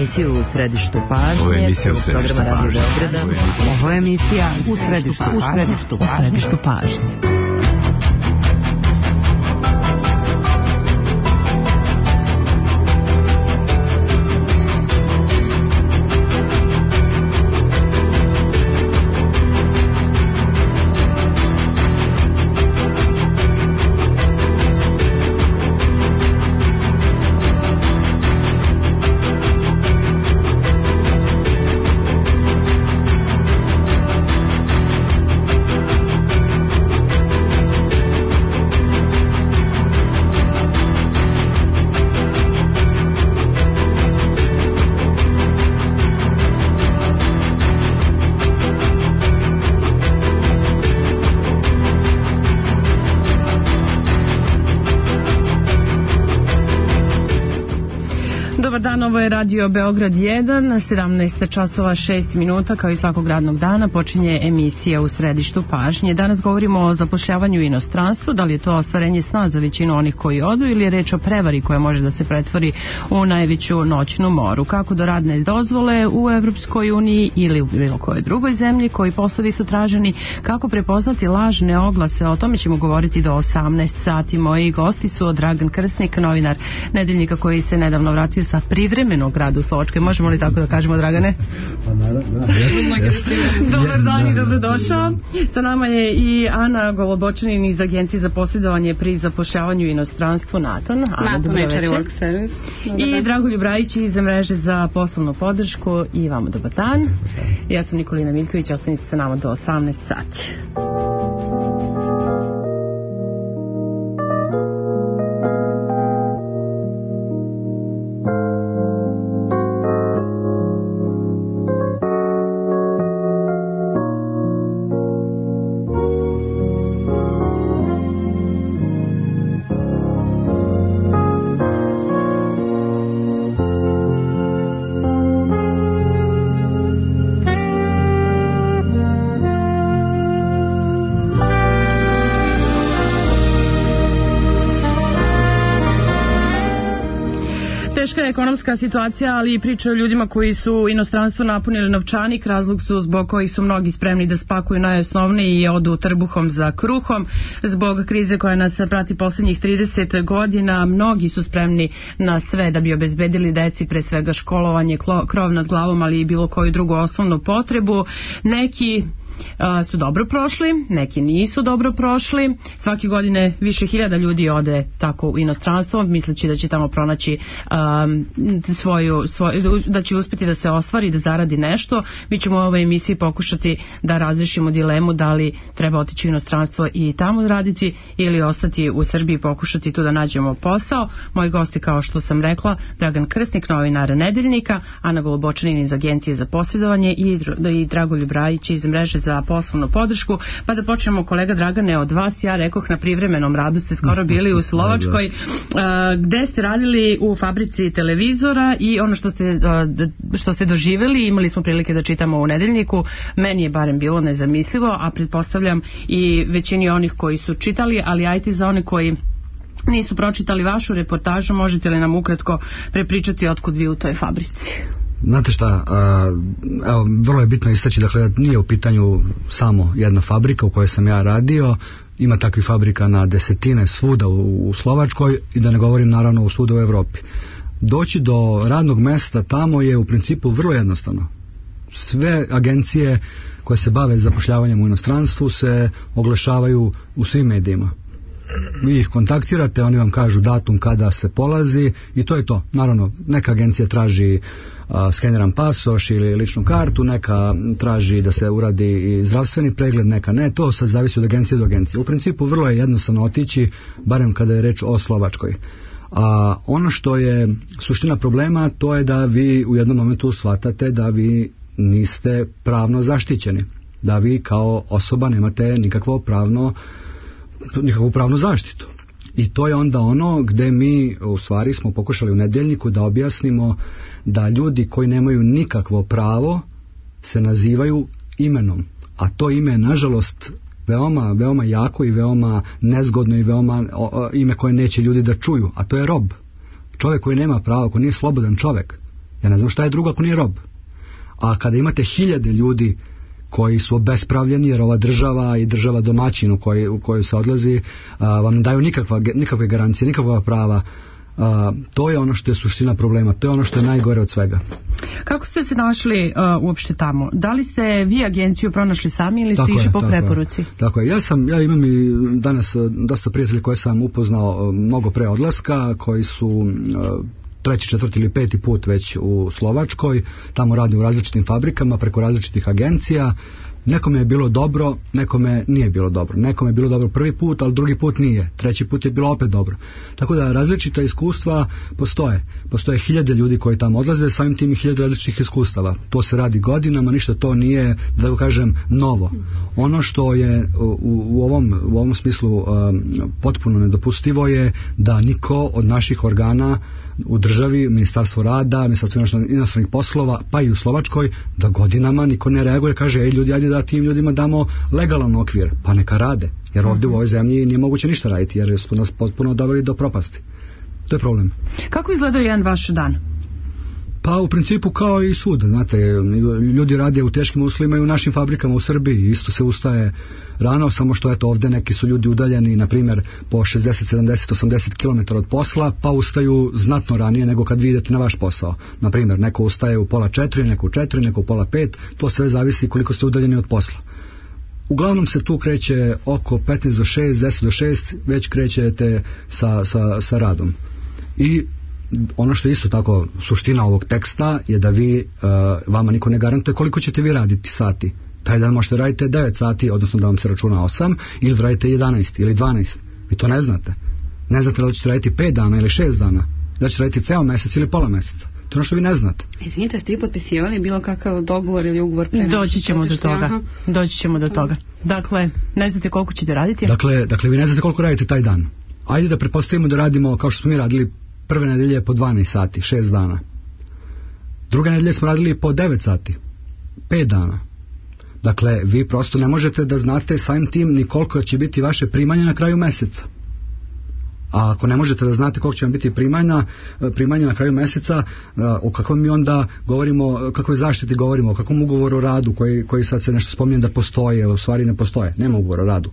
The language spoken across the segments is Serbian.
emisiju U središtu pažnje. Ovo je emisija U središtu pažnje. Ovo je emisija U središtu pažnje. Ovo je Radio Beograd 1, 17 časova 6 minuta, kao i svakog radnog dana počinje emisija U središtu pažnje. Danas govorimo o zapošljavanju u inostranstvu, da li je to ostvarenje sna za većinu onih koji odu ili je reč o prevari koja može da se pretvori u najveću noćnu moru. Kako do radne dozvole u Evropskoj uniji ili u bilo kojoj drugoj zemlji, koji poslovi su traženi, kako prepoznati lažne oglase, o tome ćemo govoriti do 18 sati. Moji gosti su Dragan Krsnik, novinar Nedeljnika koji se nedavno vratio sa privremenog rada u Slovačkoj. Možemo li tako da kažemo, Dragane? Pa naravno, da. Dobar dan i dobrodošao. Sa nama je i Ana Golobočanin iz Agencije za posredovanje pri zapošljavanju u inostranstvu NATON. NATON HR Work Service. I Dragoljub Rajić iz mreže za poslovnu podršku. I vama dobar dan. Ja sam Nikolina Miljković, ostanite sa nama do 18 sati. Ekonomska situacija, ali i priča o ljudima koji su inostranstvo napunili novčanik. Razlog su zbog kojih su mnogi spremni da spakuju najosnovnije i odu trbuhom za kruhom. Zbog krize koja nas prati posljednjih 30 godina, mnogi su spremni na sve da bi obezbedili deci pre svega školovanje, krov nad glavom, ali i bilo koju drugu osnovnu potrebu. Neki su dobro prošli, neki nisu dobro prošli. Svake godine više hiljada ljudi ode tako u inostranstvo, misleći da će tamo pronaći da će uspjeti da se ostvari, da zaradi nešto. Mi ćemo u ovoj emisiji pokušati da razrešimo dilemu da li treba otići u inostranstvo i tamo raditi ili ostati u Srbiji i pokušati tu da nađemo posao. Moji gosti, kao što sam rekla, Dragan Krsnik, novinar Nedeljnika, Ana Golobočanin iz Agencije za posredovanje i Dragoljub Rajić iz mreže za poslovnu podršku. Pa da počnemo, kolega Dragane, od vas. Ja rekoh, na privremenom radu ste skoro bili u Slovačkoj, gde ste radili u fabrici televizora i ono što ste doživjeli, imali smo prilike da čitamo u Nedeljniku, meni je barem bilo nezamislivo, a pretpostavljam i većini onih koji su čitali, ali ajte za one koji nisu pročitali vašu reportažu, možete li nam ukratko prepričati otkud vi u toj fabrici? Znate šta, evo, vrlo je bitno istaći, dakle, nije u pitanju samo jedna fabrika u kojoj sam ja radio, ima takvih fabrika na desetine svuda u Slovačkoj i da ne govorim naravno u svuda u Evropi. Doći do radnog mesta tamo je u principu vrlo jednostavno. Sve agencije koje se bave zapošljavanjem u inostranstvu se oglašavaju u svim medijima. Vi ih kontaktirate, oni vam kažu datum kada se polazi i to je to. Naravno, neka agencija traži skeniran pasoš ili ličnu kartu, neka traži da se uradi i zdravstveni pregled, neka ne, to sad zavisi od agencije do agencije. U principu vrlo je jednostavno otići, barem kada je reč o Slovačkoj. A ono što je suština problema, to je da vi u jednom momentu shvatate da vi niste pravno zaštićeni, da vi kao osoba nemate nikakvu pravnu zaštitu. I to je onda ono gde mi u stvari smo pokušali u Nedeljniku da objasnimo da ljudi koji nemaju nikakvo pravo se nazivaju imenom, a to ime je nažalost veoma, veoma jako i veoma nezgodno i veoma ime koje neće ljudi da čuju, a to je rob. Čovjek koji nema pravo, koji nije slobodan čovjek, Ja ne znam šta je drugo ako nije rob. A kada imate hiljade ljudi koji su obespravljeni, jer ova država i država domaćin u kojoj se odlazi vam ne daju nikakve garancije, nikakva prava, to je ono što je suština problema, to je ono što je najgore od svega. Kako ste se našli uopšte tamo? Da li ste vi agenciju pronašli sami ili ste išli po preporuci? Tako je. Ja imam i danas dosta prijatelja koje sam upoznao mnogo pre odlaska, koji su treći, četvrti ili peti put već u Slovačkoj, tamo radi u različitim fabrikama, preko različitih agencija. Nekome je bilo dobro, nekome nije bilo dobro. Nekome je bilo dobro prvi put, ali drugi put nije. Treći put je bilo opet dobro. Tako da različita iskustva postoje. Postoje hiljade ljudi koji tamo odlaze, samim tim i hiljade različitih iskustava. To se radi godinama, ništa to nije, da kažem, novo. Ono što je u ovom smislu potpuno nedopustivo je da niko od naših organa u državi, Ministarstvo rada, Ministarstvo inostranih poslova, pa i u Slovačkoj, da godinama niko ne reaguje, kaže, ej ljudi, ajde da tim ljudima damo legalan okvir, pa neka rade, jer ovdje u ovoj zemlji nije moguće ništa raditi, jer su nas potpuno doveli do propasti. To je problem. Kako izgleda jedan vaš dan? Pa u principu kao i svuda, znate, ljudi rade u teškim uslovima i u našim fabrikama u Srbiji, isto se ustaje rano, samo što eto ovdje neki su ljudi udaljeni, na primjer, po 60, 70, 80 km od posla, pa ustaju znatno ranije nego kad vi idete na vaš posao. Na primjer, neko ustaje u 3:30, neko u 4, neko u 4:30, to sve zavisi koliko ste udaljeni od posla. Uglavnom se tu kreće oko 15 do 6, 10 do 6, već krećete sa radom. I ono što je isto tako suština ovog teksta je da vi, vama niko ne garantuje koliko ćete vi raditi sati. Taj dan možete raditi 9 sati, odnosno da vam se računa 8, ili da radite 11 ili 12. Vi to ne znate. Ne znate da ćete raditi 5 dana ili 6 dana. Da ćete raditi ceo mesec ili pola meseca. To je ono što vi ne znate. Izvinite, ste vi potpisivali bilo kakav dogovor ili ugovor pre? Doći ćemo do toga. Dakle, ne znate koliko ćete raditi? Dakle, vi ne znate koliko radite taj dan. Ajde da pretpostavimo da radimo kao što smo mi radili prve nedelje po 12 sati, 6 dana. Druge nedelje smo radili po 9 sati, 5 dana. Dakle, vi prosto ne možete da znate samim tim ni koliko će biti vaše primanje na kraju meseca. A ako ne možete da znate koliko će vam biti primanja na kraju meseca, o kakvom mi onda govorimo, o kakvoj zaštiti govorimo, o kakvom ugovoru o radu koji sad se nešto spominje da postoje, u stvari ne postoje, nema ugovora o radu.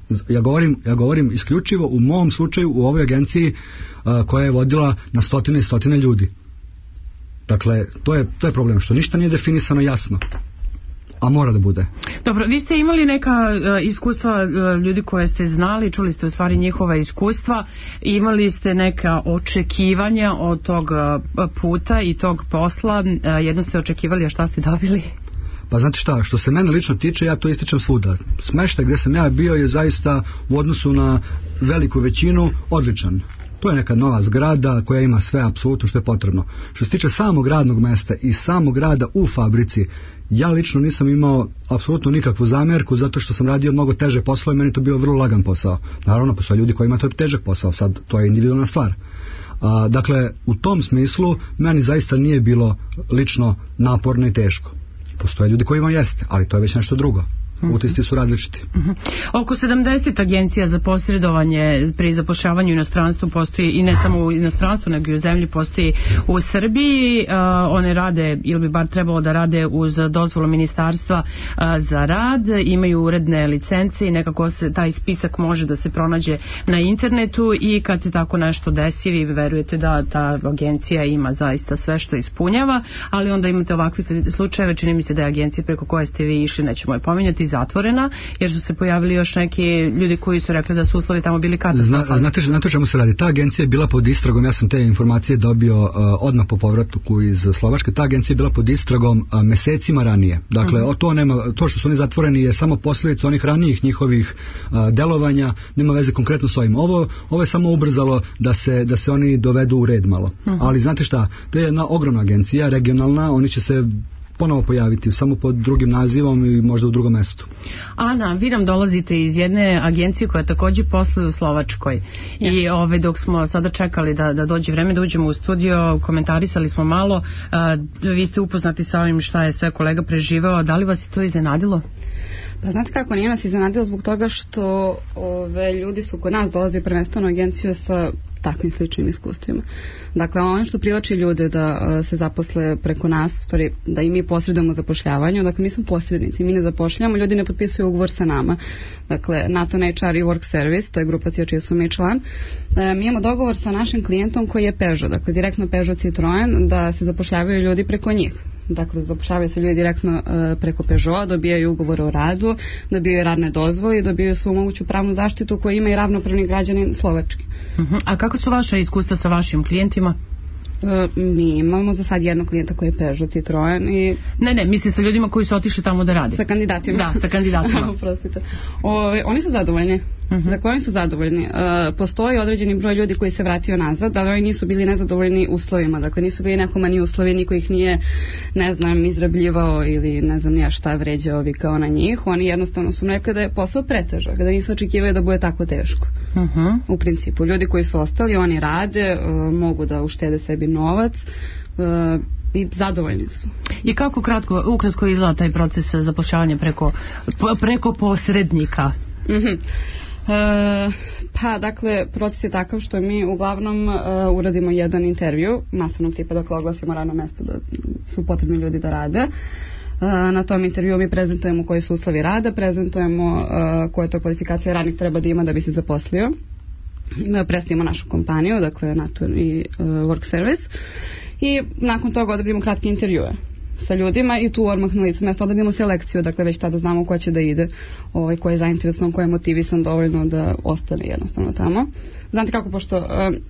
Ja govorim isključivo u mom slučaju u ovoj agenciji koja je vodila na stotine i stotine ljudi. Dakle, to je problem, što ništa nije definisano jasno. A mora da bude. Dobro, vi ste imali neka iskustva ljudi koje ste znali, čuli ste u stvari njihova iskustva, imali ste neka očekivanja od tog puta i tog posla, jedno ste očekivali, a šta ste dobili? Pa znate šta, što se mene lično tiče, ja to ističem svuda. Smeštaj gdje sam ja bio je zaista u odnosu na veliku većinu odličan. To je neka nova zgrada koja ima sve apsolutno što je potrebno. Što se tiče samog radnog mesta i samog rada u fabrici, ja lično nisam imao apsolutno nikakvu zamjerku zato što sam radio mnogo teže poslove i meni to bio vrlo lagan posao. Naravno, postoje ljudi koji imaju to težak posao, sad to je individualna stvar. Dakle, u tom smislu meni zaista nije bilo lično naporno i teško. Postoje ljudi koji imaju jeste, ali to je već nešto drugo. Utisci su različiti. Oko 70 agencija za posredovanje pri zapošljavanju u inostranstvu postoji, i ne samo u inostranstvu nego i u zemlji, postoji u Srbiji. One rade, ili bi bar trebalo da rade uz dozvolu Ministarstva za rad, imaju uredne licence i nekako se taj spisak može da se pronađe na internetu, i kad se tako nešto desi vi verujete da ta agencija ima zaista sve što ispunjava, ali onda imate ovakve slučajeve, čini mi se da je agencija preko koje ste vi išli, nećemo je pominjati, zatvorena, jer su se pojavili još neki ljudi koji su rekli da su uslovi tamo bili katastrofalni. Znate o čemu se radi? Ta agencija je bila pod istragom, ja sam te informacije dobio odmah po povratku iz Slovačke. Ta agencija je bila pod istragom mesecima ranije. Dakle, to što su oni zatvoreni je samo posljedica onih ranijih njihovih delovanja, nema veze konkretno s ovim. Ovo je samo ubrzalo da se oni dovedu u red malo. Ali znate šta, to je jedna ogromna agencija, regionalna, oni će se ponovo pojaviti, samo pod drugim nazivom i možda u drugom mestu. Ana, vi nam dolazite iz jedne agencije koja također posluje u Slovačkoj. I dok smo sada čekali da dođe vreme da uđemo u studio, komentarisali smo malo, vi ste upoznati sa ovim šta je sve kolega preživao, da li vas je to iznenadilo? Pa znate kako, nije nas iznenadilo zbog toga što ljudi su kod nas dolaze prvenstveno agenciju sa takvim sličnim iskustvima. Dakle, ono što privlači ljude da se zaposle preko nas, da i mi posredujemo u zapošljavanju, dakle mi smo posrednici, mi ne zapošljamo, ljudi ne potpisuju ugovor sa nama. Dakle, NATO HR i Work Service, to je grupacija čiji su mi član. Mi imamo dogovor sa našim klijentom koji je Peugeot, dakle direktno Peugeot Citroen, da se zapošljavaju ljudi preko njih. Dakle, zapošljavaju se ljudi direktno preko Peugeota, dobijaju ugovor o radu, dobijaju radne dozvole i dobijaju svu moguću pravnu zaštitu koju ima i ravnopravni građanin Slovačke. A kako su vaše iskustva sa vašim klijentima? Mi imamo za sad jednog klijenta koji je Peugeot Citroen i... Ne, misli sa ljudima koji su otišli tamo da rade. Sa kandidatima. Da, sa kandidatima. Oprostite. Oni su zadovoljni. Dakle, oni su zadovoljni. Postoji određeni broj ljudi koji se vratio nazad, ali oni nisu bili nezadovoljni uslovima. Dakle, nisu bili nekomani uslovi, niko ih nije, ne znam, izrabljivao ili ne znam nija šta vređao vikao na njih. Oni jednostavno su rekli da je posao pretežak, da nisu očekivali da bude tako teško. U principu, ljudi koji su ostali, oni rade, mogu da uštede sebi novac i zadovoljni su. I kako ukratko izgleda taj proces zapošljavanja preko posrednika? Pa, dakle, proces je takav što mi uglavnom uradimo jedan intervju masovnog tipa, dakle oglasimo radno mesto da su potrebni ljudi da rade. Na tom intervju mi prezentujemo koji su uslovi rada, prezentujemo koje to kvalifikacije radnik treba da ima da bi se zaposlio. Predstavimo našu kompaniju, dakle NATO i Work Service, i nakon toga odradimo kratke intervjue sa ljudima i tu odmah na licu mjesta odradimo selekciju, dakle već tada znamo ko će da ide, ko je zainteresovan, ko je motivisan dovoljno da ostane jednostavno tamo. Znate kako, pošto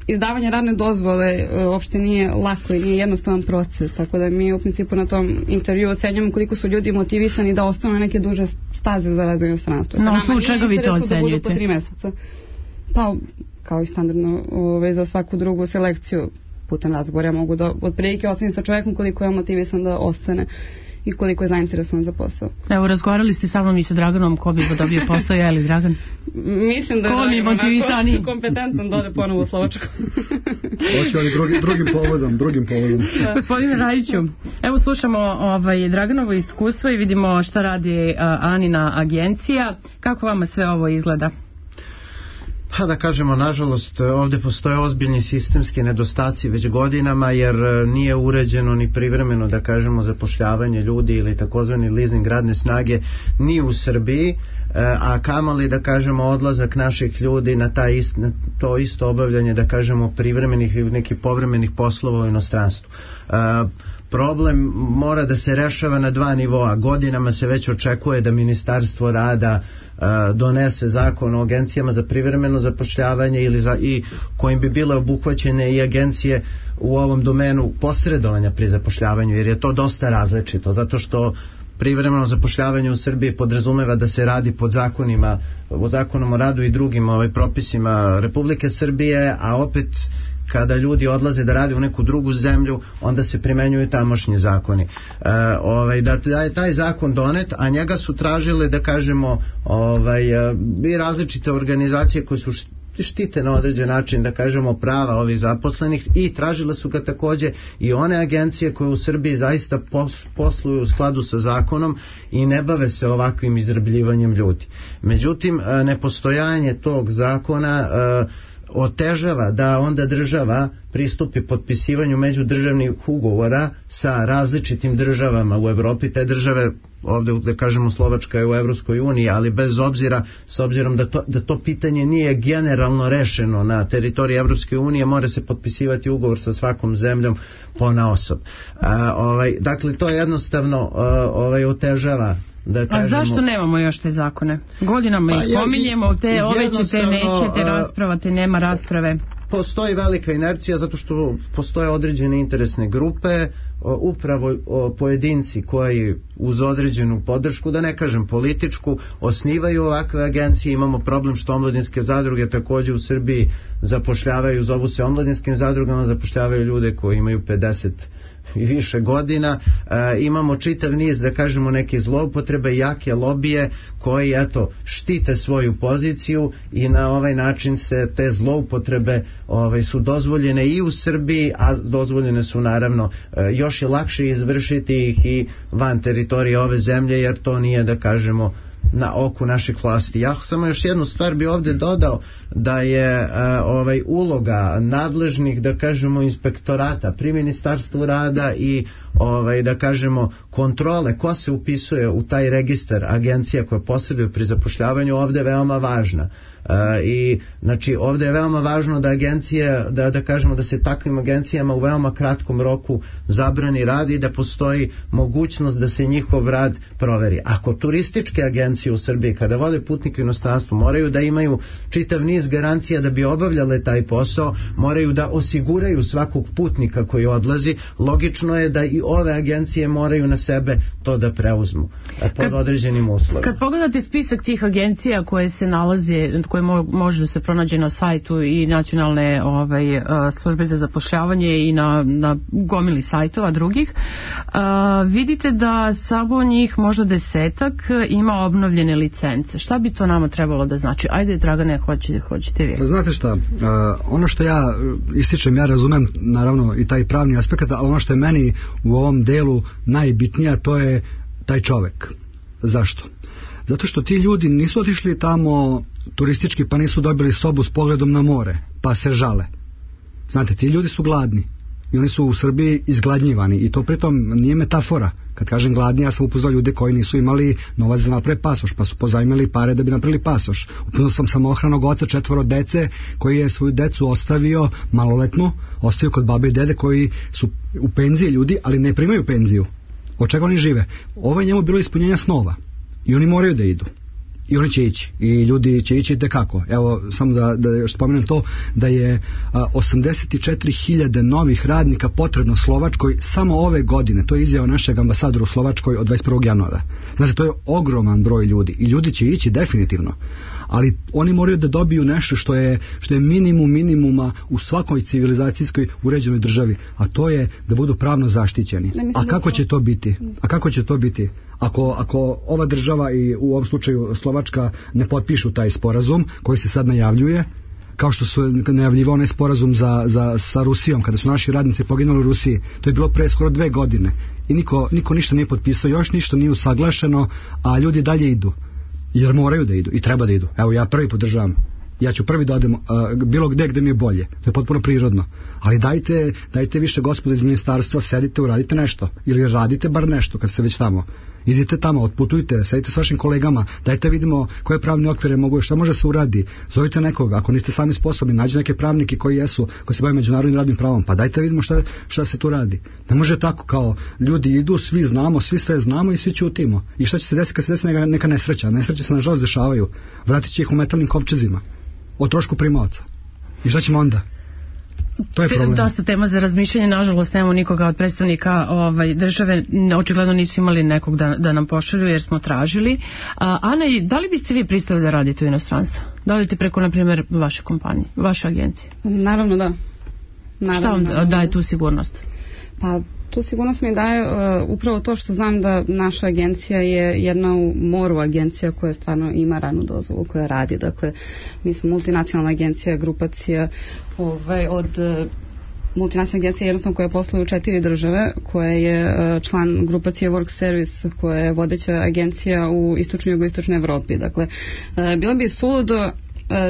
izdavanje radne dozvole uopšte nije lako i nije jednostavan proces, tako da mi u principu na tom intervju ocenjujemo koliko su ljudi motivisani da ostanu na neke duže staze za rad u inostranstvu. No, u čega vi to ocenjujete? Da budu po 3 mjeseca. Pa, kao i standardno za svaku drugu selekciju putem razgovora mogu da otprilike ostavim sa čovjekom koliko je motivisan da ostane i koliko je zainteresovan za posao. Evo, razgovarali ste sa mnom i sa Draganom, ko bi dobio posao, je li Dragan? Mislim da je Dragan kompetentan da ode ponovo u Slovačku. Hoće oni drugim povodom. Gospodine Rajiću, evo slušamo Draganovo iskustvo i vidimo šta radi Anina agencija. Kako vama sve ovo izgleda? Pa da kažemo, nažalost, ovdje postoje ozbiljni sistemski nedostaci već godinama, jer nije uređeno ni privremeno, da kažemo, zapošljavanje ljudi ili takozvani leasing radne snage ni u Srbiji, a kamoli, da kažemo, odlazak naših ljudi na to isto obavljanje, da kažemo, privremenih ili nekih povremenih poslova u inostranstvu. Problem mora da se rešava na 2 nivoa. Godinama se već očekuje da Ministarstvo rada donese zakon o agencijama za privremeno zapošljavanje i kojim bi bile obuhvaćene i agencije u ovom domenu posredovanja pri zapošljavanju, jer je to dosta različito, zato što privremeno zapošljavanje u Srbiji podrazumeva da se radi pod zakonom o radu i drugim propisima Republike Srbije, a opet kada ljudi odlaze da rade u neku drugu zemlju, onda se primenjuju tamošnji zakoni. Da je taj zakon donet, a njega su tražile, da kažemo, i različite organizacije koje su štite na određen način, da kažemo, prava ovih zaposlenih, i tražile su ga također i one agencije koje u Srbiji zaista posluju u skladu sa zakonom i ne bave se ovakvim izrabljivanjem ljudi. Međutim, nepostojanje tog zakona otežava da onda država pristupi potpisivanju međudržavnih ugovora sa različitim državama u Evropi. Te države, ovdje da kažemo Slovačka je u Evropskoj uniji, ali bez obzira, s obzirom da to pitanje nije generalno rešeno na teritoriji Evropske unije, mora se potpisivati ugovor sa svakom zemljom ponaosob. Dakle, to jednostavno otežava. A zašto nemamo još te zakone? Godinama ih pominjemo, ove ćete, nećete, raspravate, nema rasprave. Postoji velika inercija zato što postoje određene interesne grupe, upravo pojedinci koji uz određenu podršku, da ne kažem političku, osnivaju ovakve agencije. Imamo problem što omladinske zadruge također u Srbiji zapošljavaju, zovu se omladinskim zadrugama, zapošljavaju ljude koji imaju 50 i više godina. Imamo čitav niz, da kažemo, neke zloupotrebe, jake lobije koji štite svoju poziciju i na ovaj način se te zloupotrebe su dozvoljene i u Srbiji, a dozvoljene su naravno još je lakše izvršiti ih i van teritorije ove zemlje, jer to nije, da kažemo, na oku naših vlasti. Ja samo još jednu stvar bi ovdje dodao, da je uloga nadležnih, da kažemo, inspektorata pri Ministarstvu rada i da kažemo kontrole ko se upisuje u taj registar agencija koje posjeduju pri zapošljavanju ovdje je veoma važna. I znači ovdje je veoma važno da agencije, da kažemo da se takvim agencijama u veoma kratkom roku zabrani rad i da postoji mogućnost da se njihov rad proveri. Ako turističke agencije u Srbiji kada vode putnike u inostranstvu moraju da imaju čitav niz garancija da bi obavljale taj posao, moraju da osiguraju svakog putnika koji odlazi, logično je da i ove agencije moraju na sebe to da preuzmu pod određenim uslovima. Kad pogledate spisak tih agencija koje se nalaze, koje može da se pronađe na sajtu i nacionalne službe za zapošljavanje i na gomili sajtova drugih, vidite da samo njih možda 10 ima obnovljene licence. Šta bi to nama trebalo da znači? Ajde, Dragane, hoćete vi. Znate šta, ono što ja ističem, ja razumem naravno i taj pravni aspekt, ali ono što je meni u ovom delu najbitnija, to je taj čovek. Zašto? Zato što ti ljudi nisu otišli tamo turistički pa nisu dobili sobu s pogledom na more pa se žale. Znate, ti ljudi su gladni i oni su u Srbiji izgladnjivani i to pritom nije metafora. Kad kažem gladni, ja sam upoznao ljude koji nisu imali novac da naprave pasoš, pa su pozajmili pare da bi napravili pasoš. Upoznao sam samohranog oca 4 dece koji je svoju decu ostavio maloletnu, ostavio kod babe i dede koji su u penziji ljudi, ali ne primaju penziju. Od čega oni žive? Ovo je njemu bilo ispunjenja snova i oni moraju da idu. I oni će ići. I ljudi će ići tekako. Evo, samo da još spomenem to, da je 84.000 novih radnika potrebno Slovačkoj samo ove godine. To je izjava našeg ambasadora u Slovačkoj od 21. januara. Znači, to je ogroman broj ljudi. I ljudi će ići definitivno. Ali oni moraju da dobiju nešto što je minimum minimuma u svakoj civilizacijskoj uređenoj državi. A to je da budu pravno zaštićeni. A kako će to biti? Ako ova država i u ovom slučaju Slovačka ne potpišu taj sporazum koji se sad najavljuje, kao što su najavljivao onaj sporazum sa Rusijom, kada su naši radnici poginuli u Rusiji, to je bilo pre skoro 2 godine i niko ništa nije potpisao, još ništa nije usaglašeno, a ljudi dalje idu, jer moraju da idu i treba da idu. Evo, ja prvi podržavam. Ja ću prvi da odem bilo gde mi je bolje. To je potpuno prirodno. Ali dajte više, gospodo iz ministarstva, sedite, uradite nešto. Ili radite bar nešto kad ste već tamo. Idite tamo, otputujte, sedite s vašim kolegama, dajte vidimo koje pravne okvire mogu, šta može se uradi. Zovite nekoga, ako niste sami sposobni, nađite neke pravnike koji se bave međunarodnim radnim pravom, pa dajte vidimo šta se tu radi. Ne može tako kao ljudi idu, svi znamo, svi sve znamo i svi ćutimo. I šta će se desiti kad se desi neka nesreća? Nesreće se nažalost dešavaju. Vratit će ih u metalnim kovčezima o trošku primaoca. I šta ćemo onda? To je problem. Dosta tema za razmišljanje, nažalost nemamo nikoga od predstavnika države, očigledno nisu imali nekog da nam pošalju jer smo tražili. Ana, da li biste vi pristali da radite u inostranstvu? Da li preko, na primjer, vaše kompanije, vaše agencije? Naravno da. Šta vam daje tu sigurnost? Pa tu sigurnost mi daje upravo to što znam da naša agencija je jedna u moru agencija koja stvarno ima radnu dozvolu, koja radi. Dakle, mi smo multinacionalna agencija, grupacija od multinacionalna agencija jednostavno koja posluje u 4 države, koja je član grupacije Work Service, koja je vodeća agencija u istočnoj i jugoistočnoj Evropi. Dakle, bilo bi suludo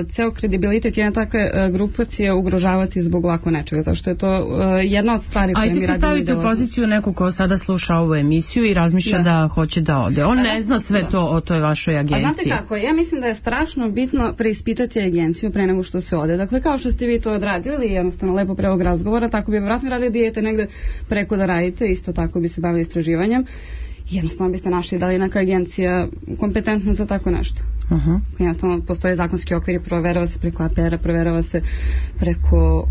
ceo kredibilitet jedne takve grupacije ugrožavati zbog ovako nečega, zato što je to jedna od stvari koje mi radimo. Ajde se staviti u poziciju nekog ko sada sluša ovu emisiju i razmišlja da hoće da ode. On ne zna sve to o toj vašoj agenciji. A znate kako, ja mislim da je strašno bitno preispitati agenciju pre nego što se ode. Dakle, kao što ste vi to odradili, jednostavno lepo pre ovog razgovora, tako bi vjerojatno radili da idete negde preko da radite, isto tako bi se bavili istraživanjem. Jednostavno biste našli da li neka agencija kompetentna za tako nešto. Jednostavno postoje zakonski okvir, proverava se preko APR-a, proverava se preko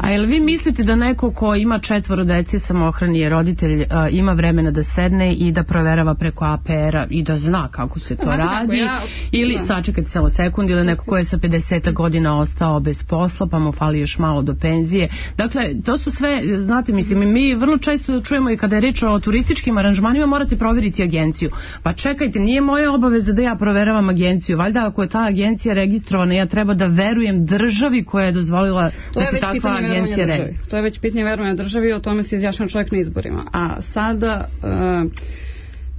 A jel vi mislite da neko ko ima 4 dece, samohrani je roditelj, ima vremena da sedne i da proverava preko APR-a i da zna kako se to radi? Ili, sačekajte samo sekund, ili neko ko je sa 50 godina ostao bez posla pa mu fali još malo do penzije. Dakle, to su sve, znate, mislim, mi vrlo često čujemo i kada je reč o turističkim aranžmanima, morate proveriti agenciju. Pa čekajte, nije moja obaveza da ja proveravam agenciju. Valjda ako je ta agencija registrovana, ja treba da verujem državi koja je dozvolila da se takva agencija registruje. To je već pitanje verovanja državi, o tome se izjašnjava čovjek na izborima. A sada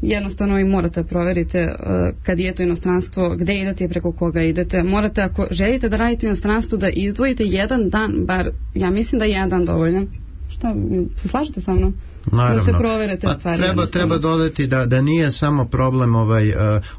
jednostavno i morate proverite kad idete u inostranstvo, gde idete i preko koga idete. Morate, ako želite da radite u inostranstvu, da izdvojite jedan dan, bar ja mislim da je jedan dan dovoljan. Šta, se slažete sa mnom? Naravno. Da se provere te stvari. Treba dodati da nije samo problem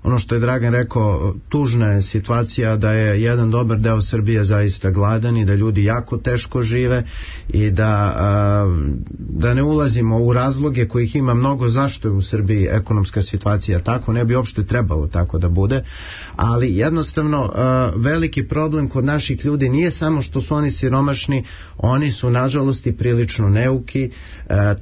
ono što je Dragan rekao, tužna je situacija da je jedan dobar deo Srbije zaista gladan i da ljudi jako teško žive i da ne ulazimo u razloge kojih ima mnogo zašto je u Srbiji ekonomska situacija tako, ne bi uopšte trebalo tako da bude, ali jednostavno veliki problem kod naših ljudi nije samo što su oni siromašni, oni su nažalost i prilično neuki.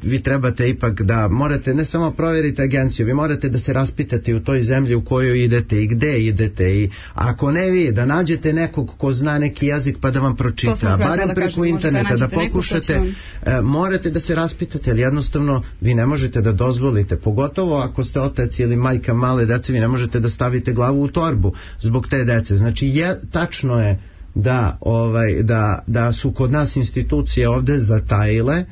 Vi trebate ipak da morate ne samo provjeriti agenciju, vi morate da se raspitate u toj zemlji u kojoj idete i gde idete, i ako ne vi, da nađete nekog ko zna neki jezik pa da vam pročita, barem preko interneta da pokušate, morate da se raspitate, ali jednostavno vi ne možete da dozvolite, pogotovo ako ste otac ili majka male dece, vi ne možete da stavite glavu u torbu zbog te dece. Znači tačno je da su kod nas institucije ovde zatajile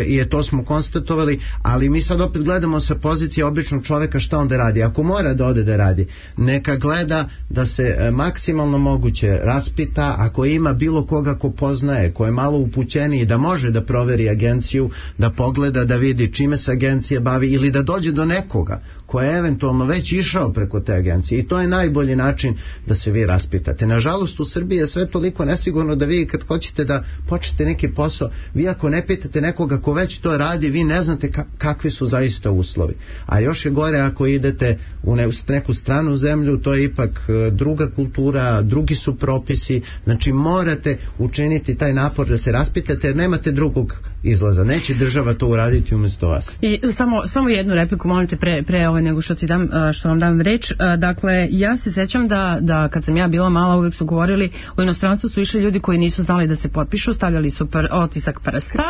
i to smo konstatovali, ali mi sad opet gledamo sa pozicije običnog čoveka šta onda radi. Ako mora da ode da radi, neka gleda da se maksimalno moguće raspita, ako ima bilo koga ko poznaje, ko je malo upućeniji, da može da proveri agenciju, da pogleda, da vidi čime se agencija bavi, ili da dođe do nekoga ko je eventualno već išao preko te agencije, i to je najbolji način da se vi raspitate. Nažalost u Srbiji je sve toliko nesigurno da vi kad hoćete da počnete neki posao, vi ako ne pitate nekoga ko već to radi, vi ne znate kakvi su zaista uslovi. A još je gore ako idete u neku stranu zemlju, to je ipak druga kultura, drugi su propisi, znači morate učiniti taj napor da se raspitate, jer nemate drugog izlaza. Neće država to uraditi umjesto vas. I samo jednu repliku, molite, pre nego što vam dam reč. Dakle, ja se sećam da kad sam ja bila mala, uvijek su govorili, u inostranstvu su išli ljudi koji nisu znali da se potpišu, stavljali su otisak prsta,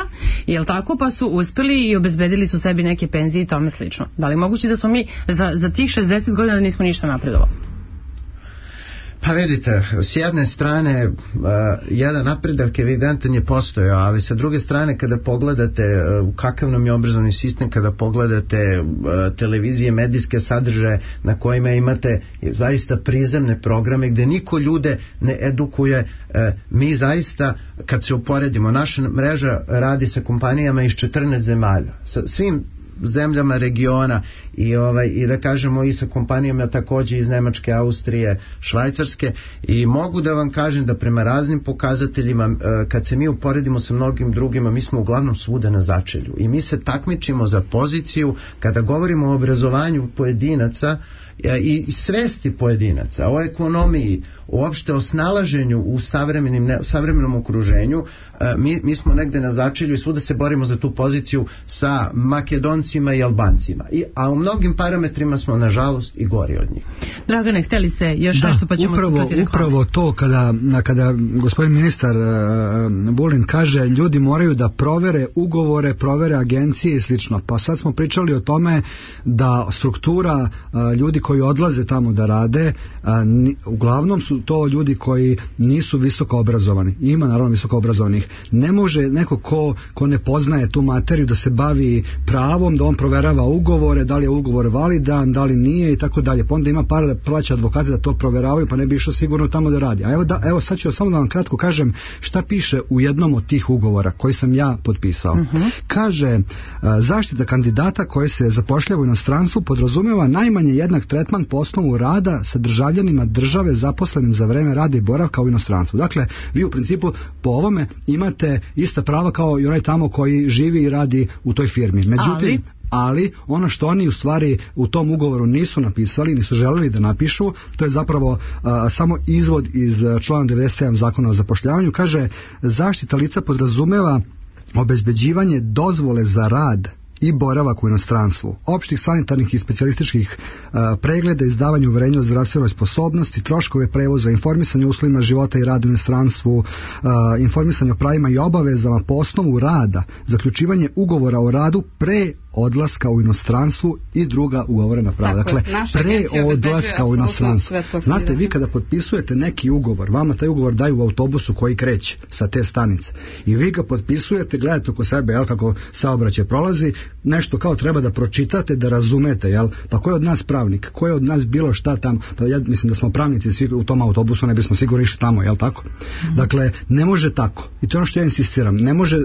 jel tako, pa su uspeli i obezbedili su sebi neke penzije i tome slično. Da li moguće da smo mi za tih 60 godina nismo ništa napredovali? Pa vidite, s jedne strane jedan napredak evidentan je postojao, ali sa druge strane kada pogledate kakav nam je obrazovni sistem, kada pogledate televizije, medijske sadržaje na kojima imate zaista prizemne programe gde niko ljude ne edukuje, mi zaista kad se uporedimo, naša mreža radi sa kompanijama iz 14 zemalja, sa svim zemljama regiona i da kažemo i sa kompanijama takođe iz Nemačke, Austrije, Švajcarske, i mogu da vam kažem da prema raznim pokazateljima kad se mi uporedimo sa mnogim drugima, mi smo uglavnom svuda na začelju i mi se takmičimo za poziciju kada govorimo o obrazovanju pojedinaca i svesti pojedinaca, o ekonomiji, uopšte o snalaženju u savremenom okruženju. Mi smo negde na začelju i svuda se borimo za tu poziciju sa Makedoncima i Albancima, a u mnogim parametrima smo nažalost i gori od njih. Dragane, hteli ste još nešto, pa ćemo čuti reklame. Upravo to kada gospodin ministar Vulin kaže ljudi moraju da provere ugovore, provere agencije i slično, pa sad smo pričali o tome da struktura ljudi koji odlaze tamo da rade, uglavnom su to ljudi koji nisu visoko obrazovani. Ima naravno visoko obrazovanih. Ne može neko ko ne poznaje tu materiju da se bavi pravom, da on proverava ugovore, da li je ugovor validan, da li nije i tako dalje. Pa onda ima para da plaća advokate da to proveravaju, pa ne bi išao sigurno tamo da radi. A evo sad ću samo da vam kratko kažem šta piše u jednom od tih ugovora koji sam ja potpisao. Kaže, zaštita kandidata koji se zapošljava u inostranstvu podrazumeva najmanje jednak tretman po osnovu rada sa državljanima države zaposlenim za vreme rada i boravka u inostranstvu. Dakle, vi u principu po ovome imate ista prava kao i onaj tamo koji živi i radi u toj firmi. Međutim, ali ono što oni u stvari u tom ugovoru nisu napisali, nisu želeli da napišu, to je zapravo samo izvod iz člana 97 Zakona o zapošljavanju. Kaže, zaštita lica podrazumeva obezbeđivanje dozvole za rad i boravak u inostranstvu, opštih sanitarnih i specijalističkih pregleda, izdavanje uverenja o zdravstvenoj sposobnosti, troškove prevoza, informisanje o uslovima života i rada u inostranstvu, informisanje o pravima i obavezama po osnovu rada, zaključivanje ugovora o radu pre odlaska u inostranstvu i druga ugovorena prava. Tako, dakle, pre odlaska u inostranstvo. Znate, vi kada potpisujete neki ugovor, vama taj ugovor daju u autobusu koji kreće sa te stanice i vi ga potpisujete, gledate oko sebe, jel, kako saobraćaj prolazi, nešto kao treba da pročitate, da razumete, jel, pa ko je od nas pravnik, ko je od nas bilo šta tamo, pa ja mislim da smo pravnici svi u tom autobusu, ne bismo sigurno išli tamo, jel tako? Dakle, ne može tako, i to je ono što ja insistiram,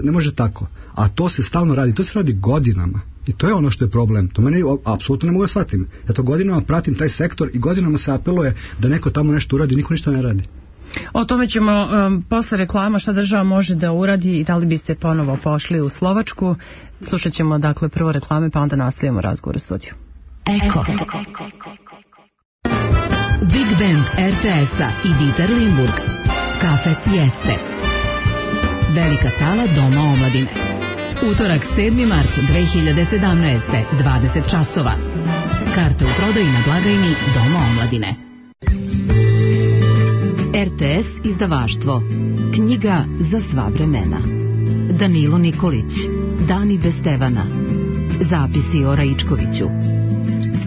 ne može tako, a to se stalno radi, to se radi godinama. I to je ono što je problem. To meni apsolutno ne mogu da shvatim. Ja to godinama pratim taj sektor i godinama se apeluje da neko tamo nešto uradi, niko ništa ne radi. O tome ćemo posle reklama šta država može da uradi i da li biste ponovo pošli u Slovačku. Slušat ćemo dakle prvo reklame pa onda nastavimo razgovor u studiju. Eko. Big Band RTS-a i Dieter Limburg. Kafe Sieste. Velika sala Doma omladine. Utorak 7. mart 2017. 20 časova. Karte u prodaji na blagajni Doma omladine. RTS izdavaštvo. Knjiga za sva vremena. Danilo Nikolić. Dani bez Stevana. Zapisi o Raičkoviću.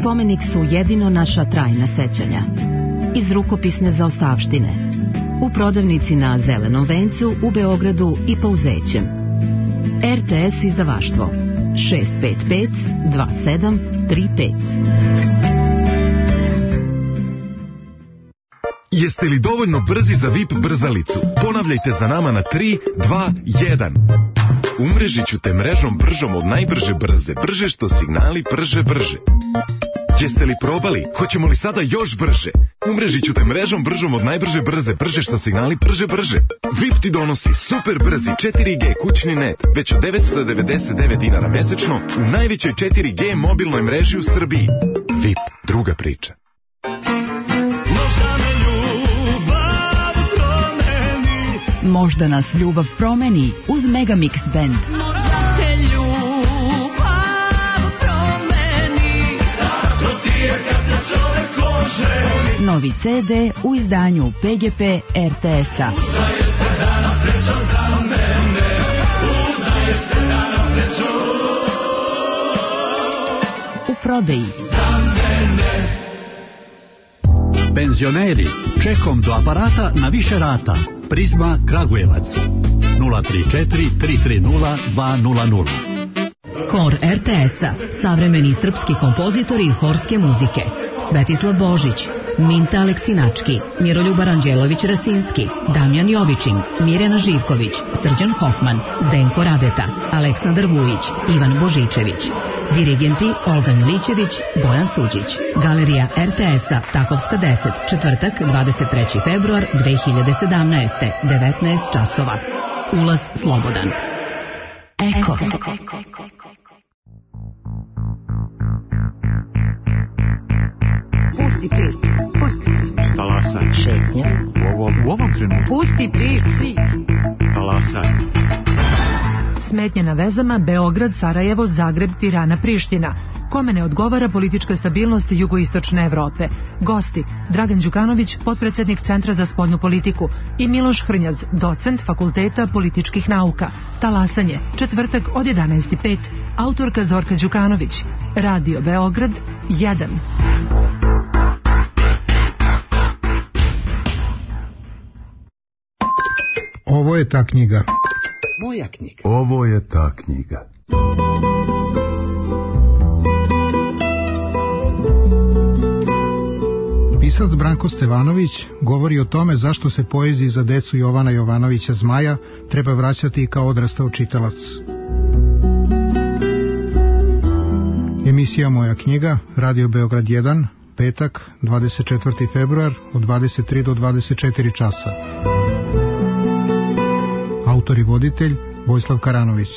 Spomenik su jedino naša trajna sećanja. Iz rukopisne zaostavštine. U prodavnici na Zelenom vencu u Beogradu i Pauzećem. RTS izdavaštvo 655 2735. Jeste li dovoljno brzi za VIP brzalicu? Ponavljajte za nama na 3, 2, 1. Umrežit ću te mrežom bržom od najbrže brze. Brže što signali brže. Jeste li probali? Hoćemo li sada još brže? Umrežit ću te mrežom bržom od najbrže brze. Brže što signali brže. VIP ti donosi super brzi 4G kućni net već od 999 dinara mesečno u najvećoj 4G mobilnoj mreži u Srbiji. VIP, druga priča. Možda nas ljubav promeni uz Megamix Band. Možda te ljubav promeni. Tako ti je kad se čovek oženi. Novi CD u izdanju PGP RTS-a. Udaje se danas srećom za mene. Udaje se danas srećom. U prodaji. Za mene. Penzioneri, čekom do aparata na više rata. Prizma Kragujevac 034 330 200. Kor RTS-a, savremeni srpski kompozitori horske muzike. Svetislav Božić, Minta Aleksinački, Miroljub Aranđelović-Rasinski, Damjan Jovičin, Mirjana Živković, Srđan Hoffman, Zdenko Radeta, Aleksandar Vujić, Ivan Božičević. Dirigenti Olga Milićević, Bojan Suđić. Galerija RTS-a, Takovska 10, četvrtak, 23. februar 2017. 19 časova. Ulaz slobodan. Eko. Pusti prič. Talasaj. Šetnja. U ovom trenutku. Pusti prič. Talasaj. Smetnje na vezama Beograd, Sarajevo, Zagreb, Tirana, Priština. Kome ne odgovara politička stabilnost jugoistočne Evrope. Gosti: Dragan Đukanović, potpredsednik Centra za spoljnu politiku, i Miloš Hrnjaz, docent Fakulteta političkih nauka. Talasanje, četvrtak od 11:05. Autorka Zorka Đukanović. Radio Beograd 1. Ovo je ta knjiga. Moja knjiga. Ovo je ta knjiga. Pisac Branko Stevanović govori o tome zašto se poeziji za decu Jovana Jovanovića Zmaja treba vraćati kao odrastao čitalac. Emisija Moja knjiga, Radio Beograd 1, petak, 24. februar od 23 do 24 časa. Autor i voditelj Vojislav Karanović.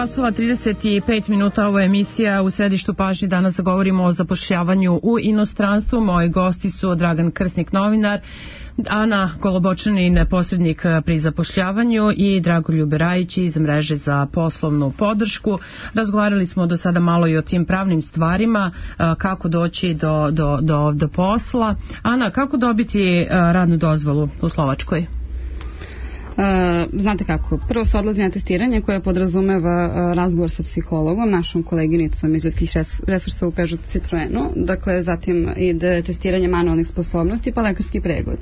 časova 35 minuta, ovo je emisija U središtu pažnje. Danas govorimo o zapošljavanju u inostranstvu. Moji gosti su Dragan Krsnik, novinar, Ana Kolobočanin, posrednik pri zapošljavanju, i Dragoljub Rajić iz mreže za poslovnu podršku. Razgovarali smo do sada malo i o tim pravnim stvarima, kako doći do posla. Ana, kako dobiti radnu dozvolu u Slovačkoj? Znate kako, prvo se odlazi na testiranje koje podrazumeva razgovor sa psihologom, našom koleginicom iz ljudskih resursa u Peugeot Citroenu, dakle zatim ide testiranje manualnih sposobnosti pa lekarski pregled.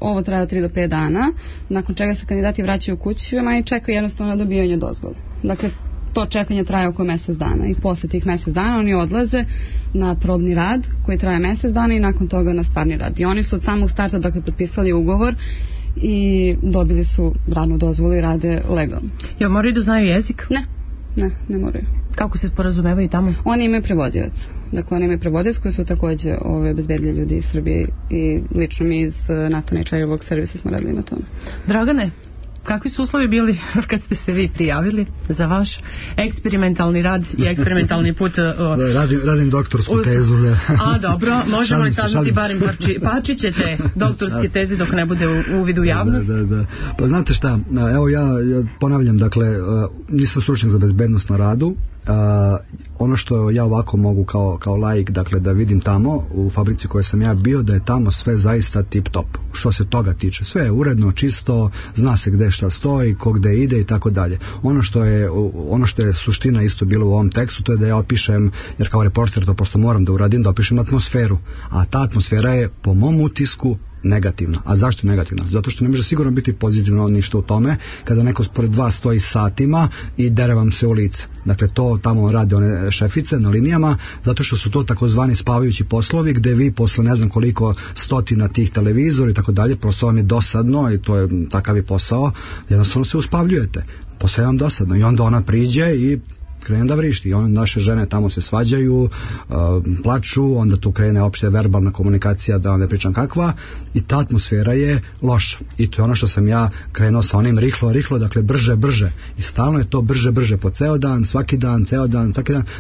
Ovo traje od 3 do 5 dana, nakon čega se kandidati vraćaju kućama i čekaju jednostavno na dobijanje dozvole. Dakle, to čekanje traje oko mjesec dana i posle tih mjesec dana oni odlaze na probni rad koji traje mjesec dana i nakon toga na stvarni rad. I oni su od samog starta dakle potpisali ugovor i dobili su radnu dozvolu i rade legalno. Jel moraju da znaju jezik? Ne moraju. Kako se sporazumevaju tamo? Oni imaju prevodioc. Dakle, oni imaju prevodioc koji su također obezbedili ljudi iz Srbije i lično mi iz NATO Nature servisa smo radili na tome. Dragane, kakvi su uslovi bili kad ste se vi prijavili za vaš eksperimentalni rad i eksperimentalni put? Radim doktorsku tezu. A dobro, možemo li saznati barem parčićete doktorske teze dok ne bude uvid u javnost? Da. Pa znate šta, evo ja ponavljam, dakle, nisam stručnjak za bezbednost na radu. Ono što ja ovako mogu kao laik, dakle, da vidim tamo u fabrici koje sam ja bio, da je tamo sve zaista tip top što se toga tiče, sve je uredno, čisto, zna se gde šta stoji, ko gde ide i tako dalje. Ono što je suština isto bilo u ovom tekstu, to je da ja opišem, jer kao reporter to prosto moram da uradim, da opišem atmosferu, a ta atmosfera je po mom utisku negativna. A zašto negativna? Zato što ne može sigurno biti pozitivno ništa u tome kada neko pored vas stoji satima i dere vam se u lice. Dakle, to tamo rade one šefice na linijama, zato što su to takozvani spavajući poslovi gde vi posle ne znam koliko stotina tih televizora i tako dalje, prosto vam je dosadno i to je takav je posao, jednostavno se uspavljujete. Posle vam dosadno i onda ona priđe i krene da vrišti i naše žene tamo se svađaju, plaču, onda tu krene opšte verbalna komunikacija, da vam ne pričam kakva, i ta atmosfera je loša i to je ono što sam ja krenuo sa onim rihlo, dakle brže i stalno je to brže po ceo dan, svaki dan,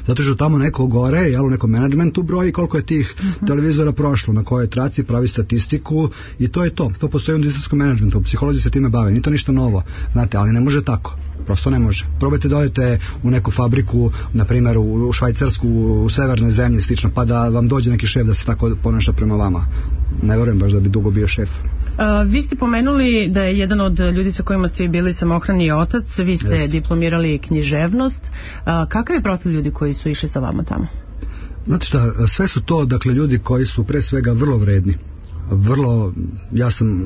zato što tamo neko gore, jel, u nekom menadžmentu broji koliko je tih televizora prošlo, na kojoj traci, pravi statistiku i to je to postoji u industrijskom menadžmentu, psiholozi se time bave, nije to ništa novo, znate, ali ne može tako. Prosto ne može. Probajte da odete u neku fabriku, na primjer u Švajcarsku, u severne zemlje slično, pa da vam dođe neki šef da se tako ponaša prema vama. Ne verujem baš da bi dugo bio šef. Vi ste pomenuli da je jedan od ljudi sa kojima ste bili samohrani otac, vi ste diplomirali književnost. Kakav je profil ljudi koji su išli sa vama tamo? Znate šta, sve su to, dakle, ljudi koji su pre svega vrlo vredni. Ja sam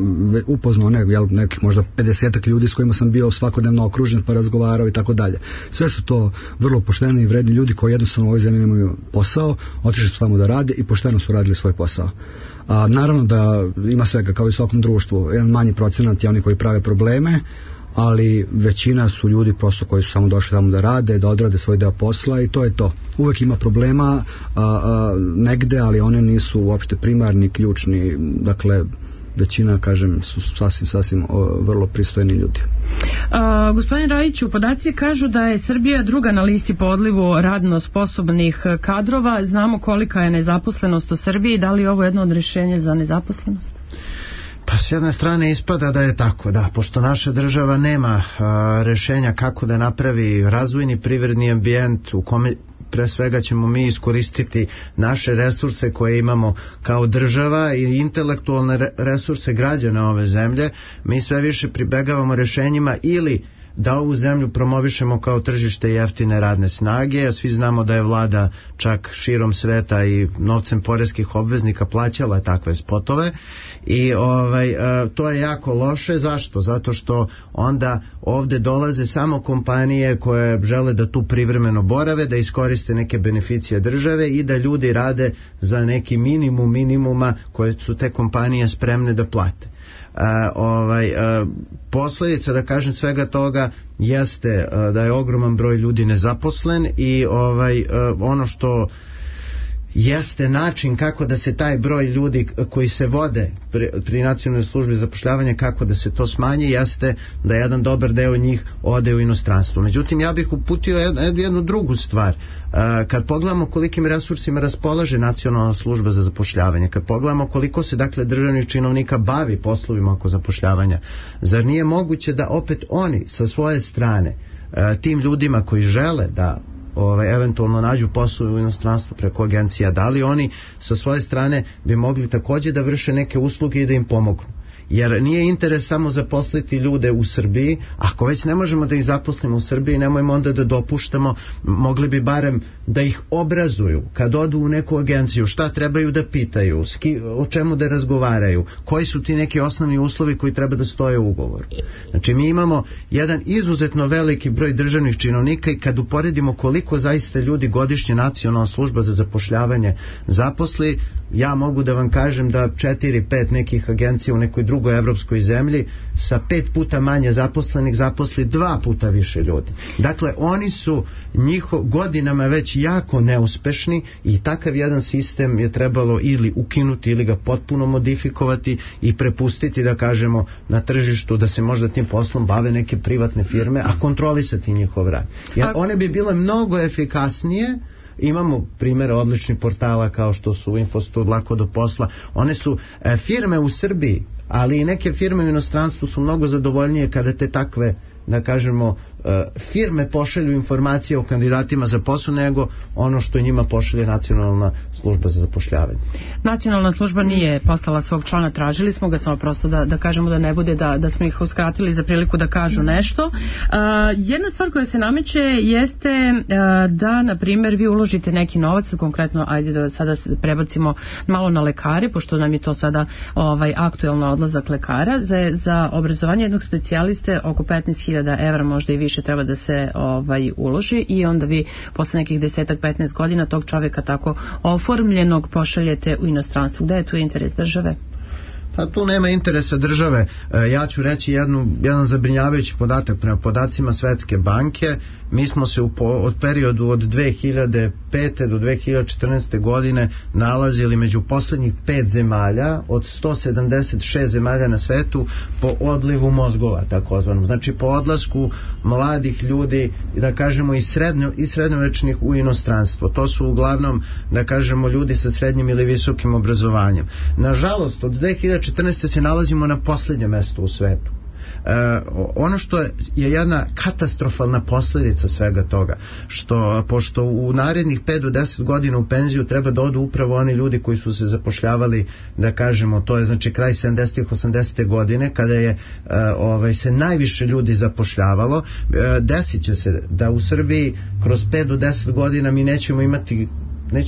upoznao nekih možda 50 ljudi s kojima sam bio svakodnevno okružen pa razgovarao i tako dalje. Sve su to vrlo pošteni i vredni ljudi koji jednostavno u ovoj zemlji nemaju posao, otišli su tamo da rade i pošteno su radili svoj posao. Naravno da ima svega kao i u svakom društvu, jedan manji procenat je oni koji prave probleme, ali većina su ljudi prosto koji su samo došli tamo da rade, da odrade svoj deo posla i to je to. Uvek ima problema negde, ali one nisu uopšte primarni, ključni, dakle većina, kažem, su sasvim vrlo pristojni ljudi. Gospodin Rajiću, podaci kažu da je Srbija druga na listi po odlivu radno sposobnih kadrova. Znamo kolika je nezaposlenost u Srbiji, da li je ovo jedno od rješenja za nezaposlenost? Pa s jedne strane ispada da je tako, da, pošto naša država nema rješenja kako da napravi razvojni privredni ambijent u kome pre svega ćemo mi iskoristiti naše resurse koje imamo kao država i intelektualne resurse građana ove zemlje, mi sve više pribegavamo rješenjima ili da ovu zemlju promovišemo kao tržište jeftine radne snage, a svi znamo da je vlada čak širom sveta i novcem poreskih obveznika plaćala takve spotove i to je jako loše. Zašto? Zato što onda ovde dolaze samo kompanije koje žele da tu privremeno borave, da iskoriste neke beneficije države i da ljudi rade za neki minimuma koje su te kompanije spremne da plate. Posljedica, da kažem, svega toga jeste da je ogroman broj ljudi nezaposlen i ono što jeste način kako da se taj broj ljudi koji se vode pri nacionalnoj službi za zapošljavanje, kako da se to smanji, jeste da jedan dobar deo njih ode u inostranstvo. Međutim, ja bih uputio jednu drugu stvar. Kad pogledamo kolikim resursima raspolaže nacionalna služba za zapošljavanje, kad pogledamo koliko se dakle državnih činovnika bavi poslovima oko zapošljavanja, zar nije moguće da opet oni sa svoje strane tim ljudima koji žele da eventualno nađu posao u inostranstvu preko agencija, da li oni sa svoje strane bi mogli također da vrše neke usluge i da im pomognu? Jer nije interes samo zaposliti ljude u Srbiji. Ako već ne možemo da ih zaposlimo u Srbiji, nemojmo onda da dopuštamo, mogli bi barem da ih obrazuju kad odu u neku agenciju, šta trebaju da pitaju, o čemu da razgovaraju, koji su ti neki osnovni uslovi koji treba da stoje u ugovoru. Znači mi imamo jedan izuzetno veliki broj državnih činovnika i kad uporedimo koliko zaista ljudi godišnje nacionalna služba za zapošljavanje zaposli, ja mogu da vam kažem da 4-5 nekih agencija u nekoj drugoj evropskoj zemlji sa 5 puta manje zaposlenih zaposli 2 puta više ljudi. Dakle, oni su godinama već jako neuspešni i takav jedan sistem je trebalo ili ukinuti ili ga potpuno modifikovati i prepustiti, da kažemo, na tržištu da se možda tim poslom bave neke privatne firme, a kontrolisati njihov rad. Jer one bi bile mnogo efikasnije. Imamo primjere odličnih portala kao što su Infostud, Lako do posla. One su firme u Srbiji, ali i neke firme u inostranstvu su mnogo zadovoljnije kada te takve, da kažemo, firme pošalju informacije o kandidatima za posao nego ono što njima pošalje nacionalna služba za zapošljavanje. Nacionalna služba nije poslala svog člana, tražili smo ga samo prosto da kažemo da ne bude da smo ih uskratili za priliku da kažu nešto. Jedna stvar koja se nameće jeste da, na primjer, vi uložite neki novac, konkretno, ajde da sada prebacimo malo na lekare, pošto nam je to sada aktuelno odlazak lekara, za obrazovanje jednog specijaliste oko 15.000 evra, možda i više, treba da se uloži i onda vi posle nekih 10-15 godina tog čovjeka tako oformljenog pošaljete u inostranstvo. Gde je tu interes države? Pa tu nema interesa države. Ja ću reći jedan zabrinjavajući podatak. Prema podacima Svetske banke, mi smo se od periodu od 2005. do 2014. godine nalazili među poslednjih 5 zemalja od 176 zemalja na svetu po odlivu mozgova, takozvanom. Znači po odlasku mladih ljudi, da kažemo i srednjovečnih u inostranstvo. To su uglavnom, da kažemo, ljudi sa srednjim ili visokim obrazovanjem. Nažalost, od 2014. se nalazimo na posljednjem mjestu u svetu. Ono što je jedna katastrofalna posljedica svega toga, pošto u narednih 5 do 10 godina u penziju treba da odu upravo oni ljudi koji su se zapošljavali, da kažemo, to je znači kraj 70-ih, 80. godine, kada je se najviše ljudi zapošljavalo. Desit će se da u Srbiji kroz 5 do 10 godina mi neće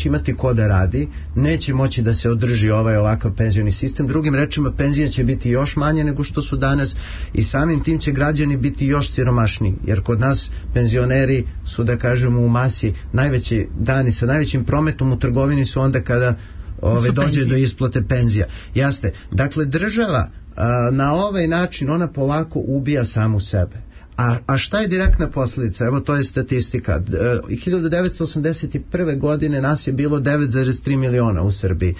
imati ko da radi, neće moći da se održi ovakav penzioni sistem. Drugim rečima, penzije će biti još manje nego što su danas i samim tim će građani biti još siromašniji, jer kod nas penzioneri su, da kažemo, u masi najveći dani sa najvećim prometom u trgovini su onda kada dođe do isplate penzija. Jasne, dakle država na ovaj način ona polako ubija samu sebe. A šta je direktna posljedica? Evo, to je statistika. 1981. godine nas je bilo 9,3 miliona u Srbiji.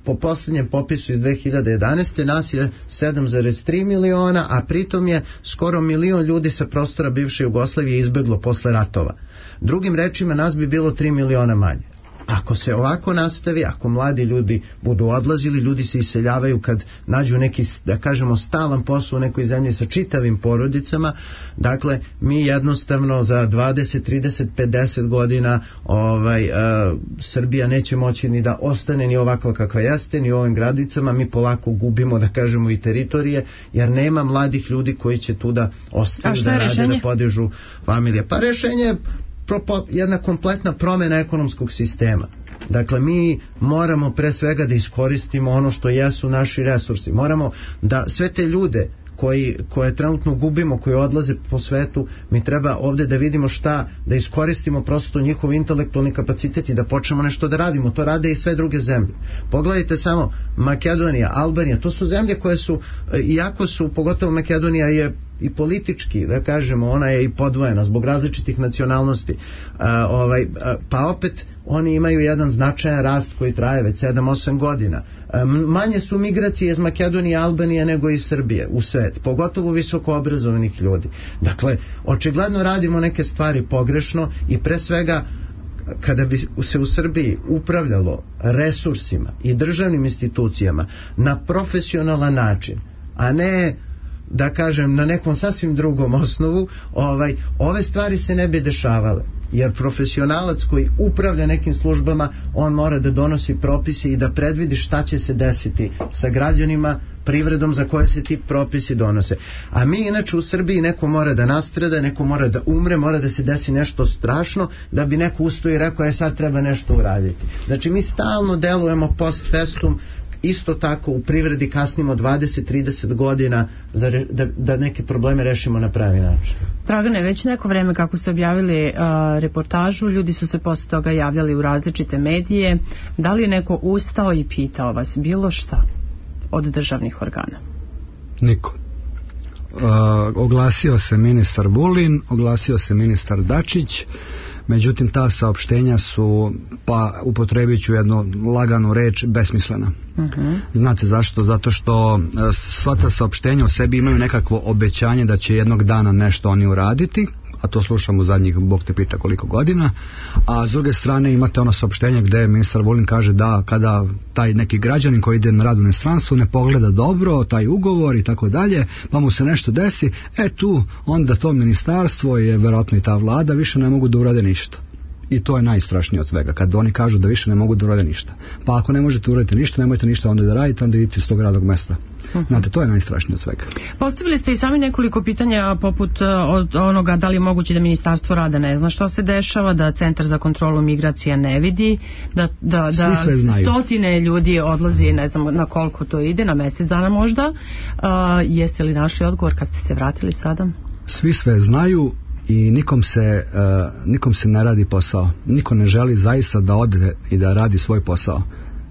Po posljednjem popisu iz 2011. nas je 7,3 miliona, a pritom je skoro 1 milion ljudi sa prostora bivše Jugoslavije izbeglo posle ratova. Drugim rečima, nas bi bilo 3 miliona manje. Ako se ovako nastavi, ako mladi ljudi budu odlazili, ljudi se iseljavaju kad nađu neki, da kažemo, stalan posao u nekoj zemlji sa čitavim porodicama, dakle mi jednostavno za 20, 30, 50 godina Srbija neće moći ni da ostane ni ovakva kakva jeste, ni u ovim gradicama, mi polako gubimo, da kažemo, i teritorije, jer nema mladih ljudi koji će tu da ostaju, da rade, da podižu familije. Pa rešenje je jedna kompletna promjena ekonomskog sistema. Dakle, mi moramo pre svega da iskoristimo ono što jesu naši resursi. Moramo da sve te ljude koje trenutno gubimo, koji odlaze po svetu, mi treba ovde da vidimo šta, da iskoristimo prosto njihov intelektualni kapacitet i da počnemo nešto da radimo. To rade i sve druge zemlje. Pogledajte samo Makedonija, Albanija, to su zemlje koje su, iako su, pogotovo Makedonija je i politički, da kažemo, ona je i podvojena zbog različitih nacionalnosti, pa opet oni imaju jedan značajan rast koji traje već 7-8 godina. Manje su migracije iz Makedonije i Albanije nego iz Srbije u svet, pogotovo visoko obrazovanih ljudi. Dakle, očigledno radimo neke stvari pogrešno i pre svega kada bi se u Srbiji upravljalo resursima i državnim institucijama na profesionalan način, a ne, da kažem, na nekom sasvim drugom osnovu, ove stvari se ne bi dešavale, jer profesionalac koji upravlja nekim službama, on mora da donosi propise i da predvidi šta će se desiti sa građanima, privredom za koje se ti propisi donose. A mi inače u Srbiji, neko mora da nastrada, neko mora da umre, mora da se desi nešto strašno da bi neko ustao i rekao sad treba nešto uraditi. Znači mi stalno delujemo post festum, isto tako u privredi kasnimo 20-30 godina da neke probleme rešimo na pravi način. Dragane, već neko vreme kako ste objavili reportažu, ljudi su se posle toga javljali u različite medije. Da li je neko ustao i pitao vas bilo šta od državnih organa? Niko. Oglasio se ministar Vulin, oglasio se ministar Dačić, međutim ta saopštenja su, pa upotrebit ću jednu laganu reč, besmislena. Znate zašto? Zato što sva ta saopštenja u sebi imaju nekakvo obećanje da će jednog dana nešto oni uraditi, a to slušamo zadnjih, Bog te pita koliko godina, a s druge strane imate ono saopštenje gde ministar Vulin kaže da kada taj neki građanin koji ide na rad u inostranstvu ne pogleda dobro taj ugovor i tako dalje, pa mu se nešto desi, tu onda to ministarstvo je verovatno i ta vlada više ne mogu da urade ništa. I to je najstrašnije od svega, kad oni kažu da više ne mogu da urade ništa. Pa ako ne možete uraditi ništa, nemojte ništa onda da radite, onda idite iz tog radnog mesta. Znate, to je najstrašnije od svega. Postavili ste i sami nekoliko pitanja poput od onoga da li je moguće da Ministarstvo rada ne zna šta se dešava, da Centar za kontrolu migracija ne vidi, da stotine ljudi odlazi, ne znam na koliko to ide, na mesec dana možda. Jeste li našli odgovor kad ste se vratili sada? Svi sve znaju i nikom se ne radi posao. Niko ne želi zaista da ode i da radi svoj posao.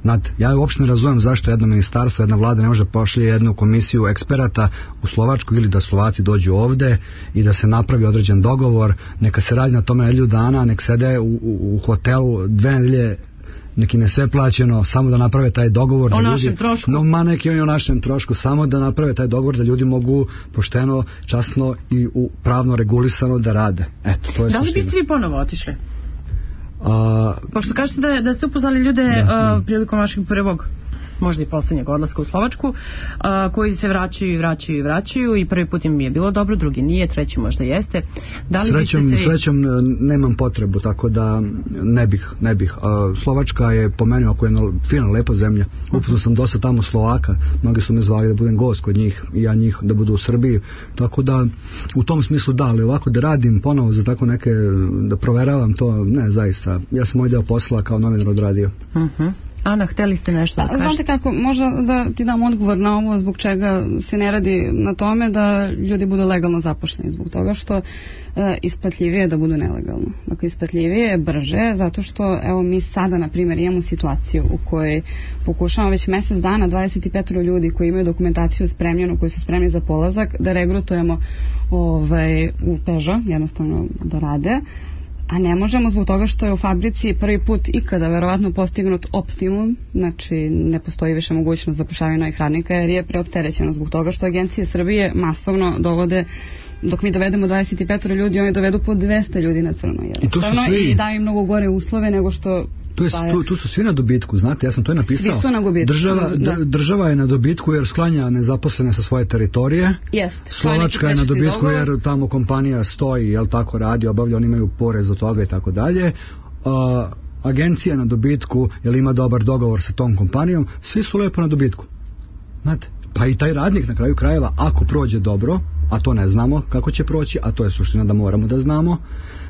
Znate, ja uopšte ne razumem zašto jedno ministarstvo, jedna vlada ne može pošalje jednu komisiju eksperata u Slovačku ili da Slovaci dođu ovde i da se napravi određen dogovor, neka se radi na tome nedelju dana, nek sede u hotelu 2 nedelje, neki ne sve plaćeno, samo da naprave taj dogovor. O našem trošku. Neki oni o našem trošku, samo da naprave taj dogovor da ljudi mogu pošteno, časno i pravno regulisano da rade. Eto, to je suština. Da li biste vi ponovo otišli? Pošto kažete da ste upoznali ljude prilikom vašeg prvog, možda i poslednjeg odlaska u Slovačku, koji se vraćaju i prvi put im je bilo dobro, drugi nije, treći možda jeste. Srećom nemam potrebu, tako da ne bih. Slovačka je po meni ako je jedna fina, lepa zemlja. Upoznao sam dosta tamo Slovaka, mnogi su me zvali da budem gost kod njih i ja njih da budu u Srbiji, tako da u tom smislu da, ali ovako da radim ponovo za tako neke, da proveravam to, ne, zaista. Ja sam moj deo posla kao novinar odradio. Ana, hteli ste nešto da kažete? Znate kako, možda da ti dam odgovor na ovo zbog čega se ne radi na tome da ljudi budu legalno zaposleni, zbog toga što isplatljivije je da budu nelegalno. Dakle, isplatljivije je brže, zato što evo mi sada, na primjer, imamo situaciju u kojoj pokušamo već mesec dana 25 ljudi koji imaju dokumentaciju spremljenu, koji su spremni za polazak, da regrutujemo u Peugeot, jednostavno da rade, a ne možemo zbog toga što je u fabrici prvi put ikada verovatno postignut optimum, znači ne postoji više mogućnost zapošljavanja novih radnika jer je preopterećeno zbog toga što agencije Srbije masovno dovode, dok mi dovedemo 25 ljudi, oni dovedu po 200 ljudi na crno jednostavno i daju im mnogo gore uslove nego što tu su svi na dobitku, znate, ja sam to i napisao. Svi su na gubitku. Država je na dobitku jer sklanja nezaposlene sa svoje teritorije. Slovačka je na dobitku jer tamo kompanija stoji, jel tako radi, obavlja, oni imaju porez od toga i tako dalje. Agencija na dobitku jer ima dobar dogovor sa tom kompanijom, svi su lepo na dobitku. Znate, pa i taj radnik na kraju krajeva, ako prođe dobro, a to ne znamo kako će proći, a to je suština da moramo da znamo.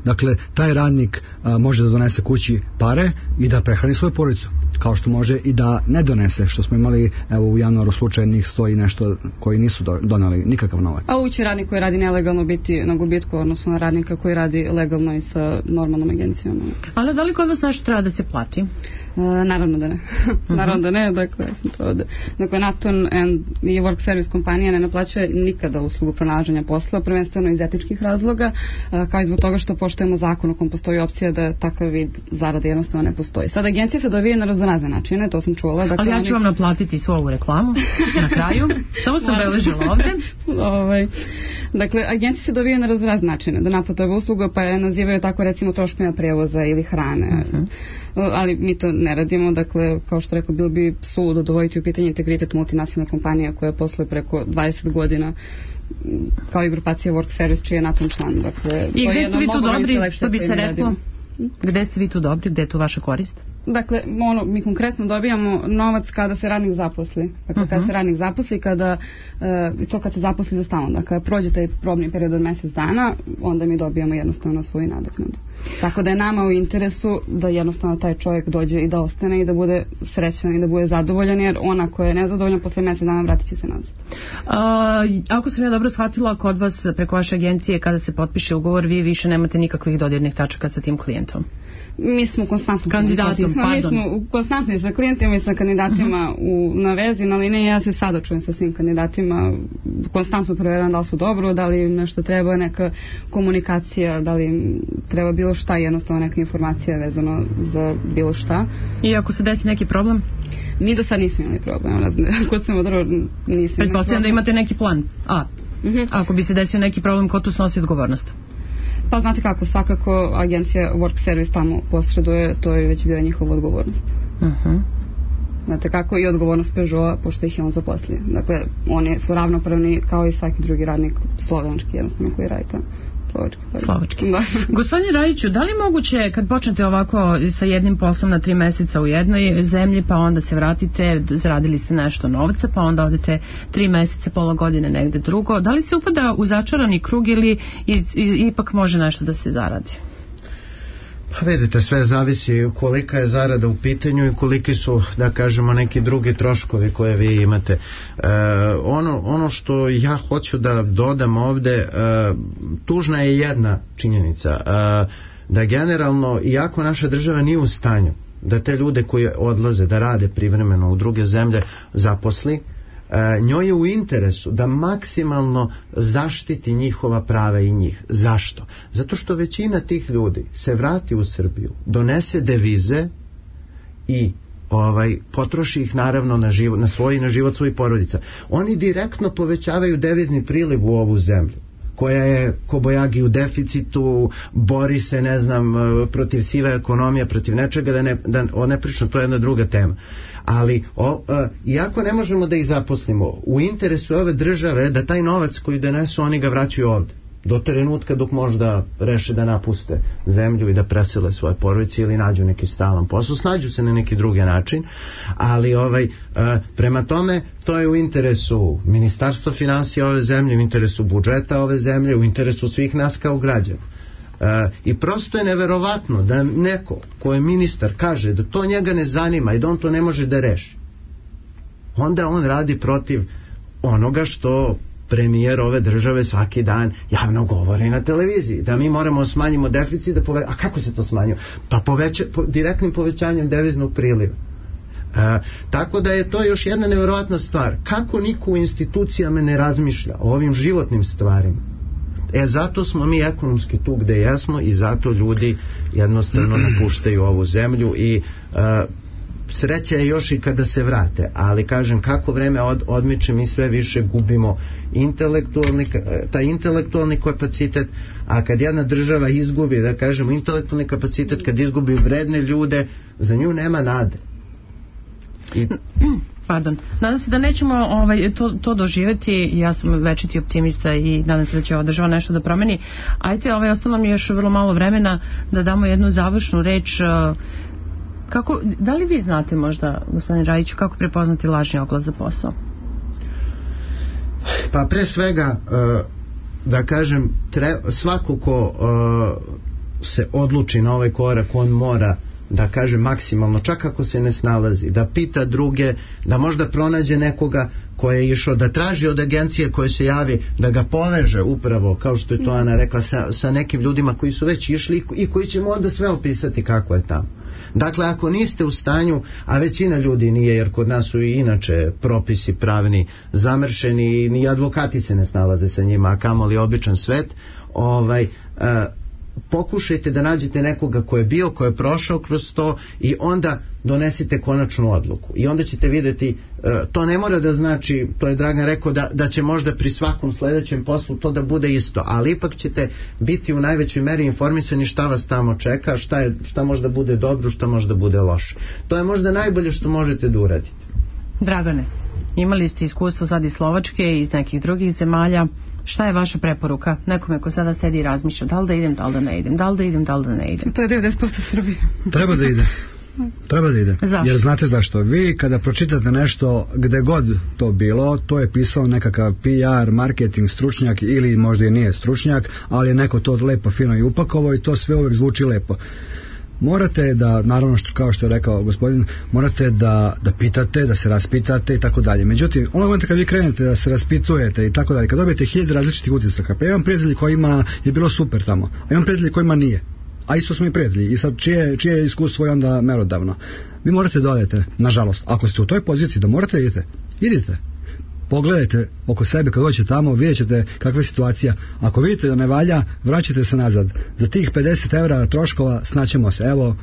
Dakle, taj radnik može da donese kući pare i da prehrani svoju porodicu, kao što može i da ne donese, što smo imali evo u januaru slučaj njih 100 i nešto koji nisu donali nikakav novac. A ući radnik koji radi nelegalno biti na gubitku, odnosno na radnika koji radi legalno i sa normalnom agencijom. Ali da li kod vas nešto treba da se plati? Naravno da ne. Naravno da ne, dakle, ja sam to ovde. Dakle, Naton i Work Service kompanija ne naplaćuje nikada uslugu pronalaženja posla, prvenstveno iz etičkih razloga, kao i zbog toga što poštujemo zakon u kom postoji opcija da takav vid zarade jednostavno ne postoji. Sad, agencije se dobije na raznorazne načine, to sam čula. Dakle, ali ja ću vam naplatiti svu ovu reklamu na kraju. Samo sam beležila ovde. Dakle, agencije se dobije na raznorazne načine da naplate ove usluga, pa je nazivaju tako recimo troškovima prevoza ili hrane. Ali mi to ne radimo, dakle, kao što rekao, bilo bi suludo dovoditi u pitanje integritet multinacionalne kompanije koja posluje preko 20 godina kao i grupacija Work Service čiji je NATO član. Dakle, i gde ste vi tu dobri, što bi se reklo? Gde ste vi tu dobri, gde je tu vaša korist? Dakle, mi konkretno dobijamo novac kada se radnik zaposli. Dakle, kada se radnik zaposli, to kad se zaposli za stalno. Dakle, kada prođe taj probni period od mjesec dana, onda mi dobijamo jednostavno svoju nadoknadu. Tako da je nama u interesu da jednostavno taj čovjek dođe i da ostane i da bude srećan i da bude zadovoljan, jer ona koja je nezadovoljan posle mjesec dana vratit će se nazad. Ako sam ja dobro shvatila, kod vas preko vaše agencije kada se potpiše ugovor, vi više nemate nikakvih dodirnih tačaka sa tim klijentom? Mi smo konstantno konstantni sa klijentima i sa kandidatima na vezi, ali ne, ja se sada čujem sa svim kandidatima, konstantno provjeram da li su dobro, da li nešto treba, neka komunikacija, da li treba bilo šta, jednostavno neka informacija vezano za bilo šta. I ako se desi neki problem? Mi do sad nismo imali problem, kod sam odro nismo imali problem. Pretpostavljam da imate neki plan. Ako bi se desio neki problem, ko tu snosi odgovornost? Pa znate kako, svakako agencija Work Service tamo posreduje, to je već bila njihova odgovornost. Znate kako, i odgovornost Peugeota, pošto ih je on zaposlio. Dakle, oni su ravnopravni kao i svaki drugi radnik slovenski, jednostavno, koji radi tamo. Slovački. Gospodine Rajiću, da li je moguće kad počnete ovako sa jednim poslom na 3 mjeseca u jednoj zemlji, pa onda se vratite, zaradili ste nešto novca, pa onda odete 3 mjeseca, pola godine negde drugo, da li se upada u začarani krug ili ipak može nešto da se zaradi? Pa vidite, sve zavisi kolika je zarada u pitanju i koliki su, da kažemo, neki drugi troškovi koje vi imate. Ono što ja hoću da dodam ovde, tužna je jedna činjenica, da generalno, iako naša država nije u stanju da te ljude koji odlaze da rade privremeno u druge zemlje zaposli, njoj je u interesu da maksimalno zaštiti njihova prava i njih. Zašto? Zato što većina tih ljudi se vrati u Srbiju, donese devize i potroši ih naravno na život svojih porodica. Oni direktno povećavaju devizni priliv u ovu zemlju, koja je kobojagi u deficitu, bori se, ne znam, protiv sive ekonomije, protiv nečega, da ne pričam, to je jedna druga tema. Ali, iako ne možemo da ih zaposlimo, u interesu ove države da taj novac koji donesu, oni ga vraćaju ovde. Do trenutka dok možda reše da napuste zemlju i da presele svoje porodice ili nađu neki stalan posao, snađu se na neki drugi način, ali prema tome to je u interesu Ministarstva finansija ove zemlje, u interesu budžeta ove zemlje, u interesu svih nas kao građana. I prosto je neverovatno da neko ko je ministar kaže da to njega ne zanima i da on to ne može da reši, onda on radi protiv onoga što premijer ove države svaki dan javno govori na televiziji, da mi moramo smanjimo deficit, a kako se to smanjuje? Pa direktnim povećanjem deviznog priliva. Tako da je to još jedna neverovatna stvar. Kako niko u institucijama ne razmišlja o ovim životnim stvarima? Zato smo mi ekonomski tu gde jesmo i zato ljudi jednostavno napuštaju ovu zemlju i sreća je još i kada se vrate, ali kažem, kako vreme odmiče, mi sve više gubimo taj intelektualni kapacitet, a kad jedna država izgubi, da kažemo, intelektualni kapacitet, kad izgubi vredne ljude, za nju nema nade. Nadam se da nećemo to doživjeti. Ja sam večiti optimista i nadam se da će ova država nešto da promeni. Ajde, ostalo mi još vrlo malo vremena da damo jednu završnu reč. Da li vi znate možda, gospodin Rajiću, kako prepoznati lažni oglas za posao? Pa pre svega da kažem, svako ko se odluči na ovaj korak, on mora da kaže maksimalno, čak ako se ne snalazi, da pita druge, da možda pronađe nekoga ko je išao, da traži od agencije koje se javi, da ga poveže upravo, kao što je to Ana rekla, sa nekim ljudima koji su već išli i koji ćemo onda sve opisati kako je tamo. Dakle, ako niste u stanju, a većina ljudi nije, jer kod nas su i inače propisi pravni zamršeni i ni advokati se ne snalaze sa njima, a kamoli običan svet, pokušajte da nađete nekoga ko je bio, ko je prošao kroz to i onda donesite konačnu odluku. I onda ćete vidjeti, to ne mora da znači, to je Dragan rekao, da će možda pri svakom sledećem poslu to da bude isto, ali ipak ćete biti u najvećoj meri informisani šta vas tamo čeka, šta možda bude dobro, šta možda bude loše. To je možda najbolje što možete da uradite. Dragane, imali ste iskustvo sad iz Slovačke i iz nekih drugih zemalja. Šta je vaša preporuka nekome ko sada sedi i razmišlja da li da idem, da li da ne idem, da li da idem, da li da ne idem? To je 90% Srbije. Treba da ide. Treba da ide. Zašto? Jer znate zašto? Vi kada pročitate nešto gde god to bilo, to je pisao nekakav PR, marketing stručnjak ili možda i nije stručnjak, ali je neko to lepo fino i upakovao i to sve uvek zvuči lepo. Morate da, naravno kao što je rekao gospodin, morate da pitate, da se raspitate i tako dalje. Međutim, ono momenta kad vi krenete da se raspitujete i tako dalje, kad dobijete 1000 različitih utisaka, pa imam prijatelji kojima je bilo super tamo, a imam prijatelji kojima nije. A isto smo i prijatelji i sad čije iskustvo je onda merodavno. Vi morate da odete, nažalost, ako ste u toj poziciji da morate idite. Pogledajte oko sebe kad dođete tamo, vidjet ćete kakva je situacija. Ako vidite da ne valja, vraćate se nazad. Za tih 50 € troškova snaćemo se. Evo,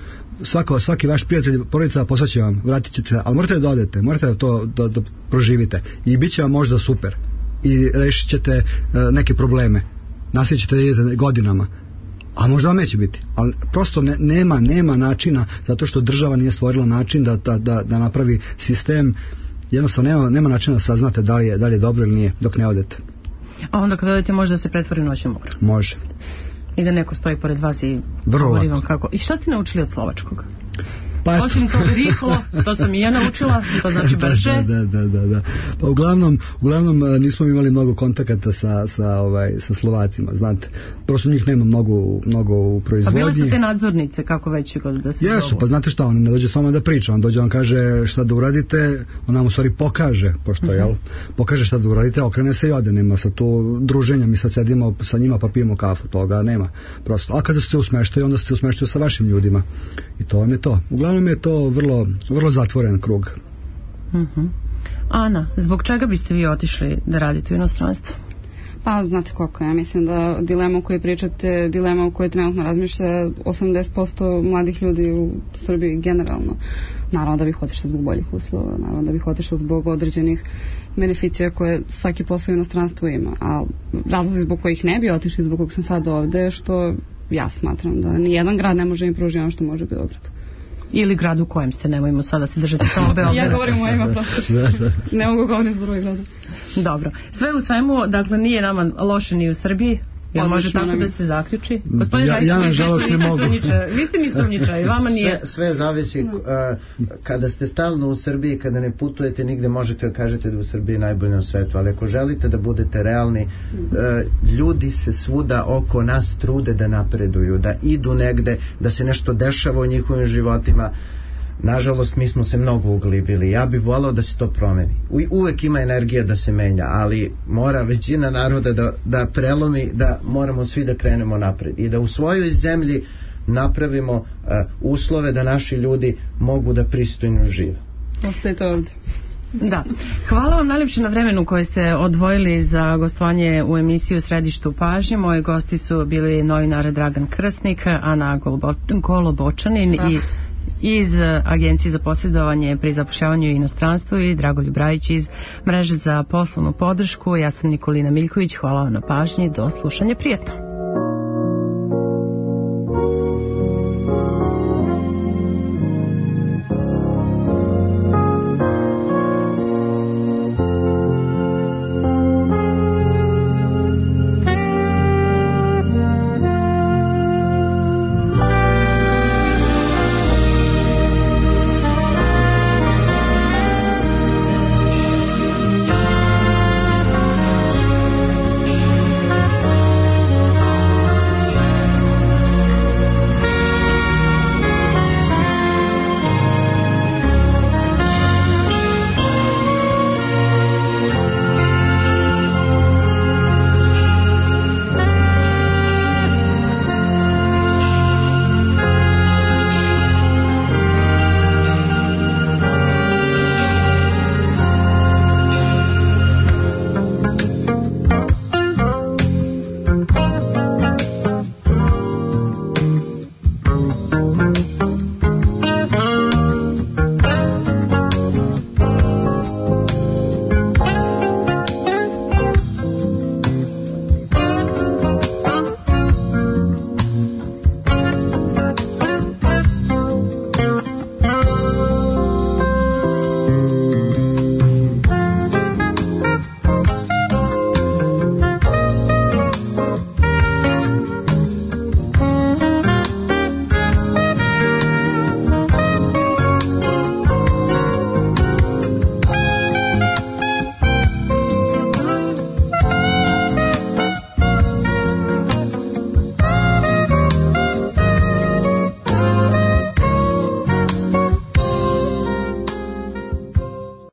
svaki vaš prijatelj, porodica posvaće vam, vratit ćete se, ali morate da odete, morate da to da proživite i bit će vam možda super i rešit ćete neke probleme. Nastavit ćete da idete godinama, a možda vam neće biti, ali prosto nema načina, zato što država nije stvorila način da napravi sistem. Jednostavno nema načina da saznate da li je dobro ili nije dok ne odete. A onda kad odete možda se pretvori u noćnu moru. Može. I da neko stoji pored vas i govori vam kako. I šta ste naučili od slovačkog? Pa osim to rihlo, to sam i ja naučila, to znači brže. Da. Pa uglavnom nismo imali mnogo kontakata sa Slovacima, znate. Prosto njih nema mnogo u proizvodnji. A bile su te nadzornice, kako već da se jesu, pa znate šta, on ne dođe s vama da priča, on dođe, on kaže šta da uradite, on nam u stvari pokaže, pošto pokaže šta da uradite, okrene se i ode, nema sa tu druženja, mi sad sedimo sa njima pa pijemo kafu, toga nema, prosto. A kada ste u smeštaju, onda ste u smeštaju sa vašim ljudima i to vam je to. Uglavnom je to vrlo zatvoren krug. Ana, zbog čega biste vi otišli da radite u inostranstvu? Pa znate koliko, ja mislim da dilema o kojoj pričate, dilema o kojoj trenutno razmišlja 80% mladih ljudi u Srbiji generalno. Naravno da bih otišla zbog boljih uslova, naravno da bih otišla zbog određenih beneficija koje svaki posao u inostranstvu ima, a razlozi zbog kojih ne bi otišli, zbog kojeg sam sad ovde, što ja smatram da nijedan grad ne može im pružiti ono što može Beograd. Ili grad u kojem ste, nemojmo sada se držati samo Beograda. Ja govorim o ima prosto. Ne mogu govoriti za drugi grad. Dobro. Sve u svemu, dakle, nije nama loše ni u Srbiji. Jel može tako da se zaključi? Ja nažalost ne mogu. Vi ste mi sumnjičavi, vama nije. Sve zavisi. Kada ste stalno u Srbiji, kada ne putujete nigde, možete da kažete da u Srbiji je najbolje na svetu, ali ako želite da budete realni, ljudi se svuda oko nas trude da napreduju, da idu negde, da se nešto dešava u njihovim životima. Nažalost, mi smo se mnogo uglibili. Ja bih volao da se to promeni. Uvek ima energija da se menja, ali mora većina naroda da prelomi, da moramo svi da krenemo napred i da u svojoj zemlji napravimo uslove da naši ljudi mogu da pristojno žive. Ostajte ovdje. Da. Hvala vam najljepše na vremenu koje ste odvojili za gostovanje u emisiju Središtu pažnje. Moji gosti su bili novinar Dragan Krsnik, Ana Golobočanin i iz Agencije za posredovanje pri zapošljavanju u inostranstvu i Dragoljub Rajić iz Mreže za poslovnu podršku. Ja sam Nikolina Miljković, hvala vam na pažnji, do slušanja, prijetno.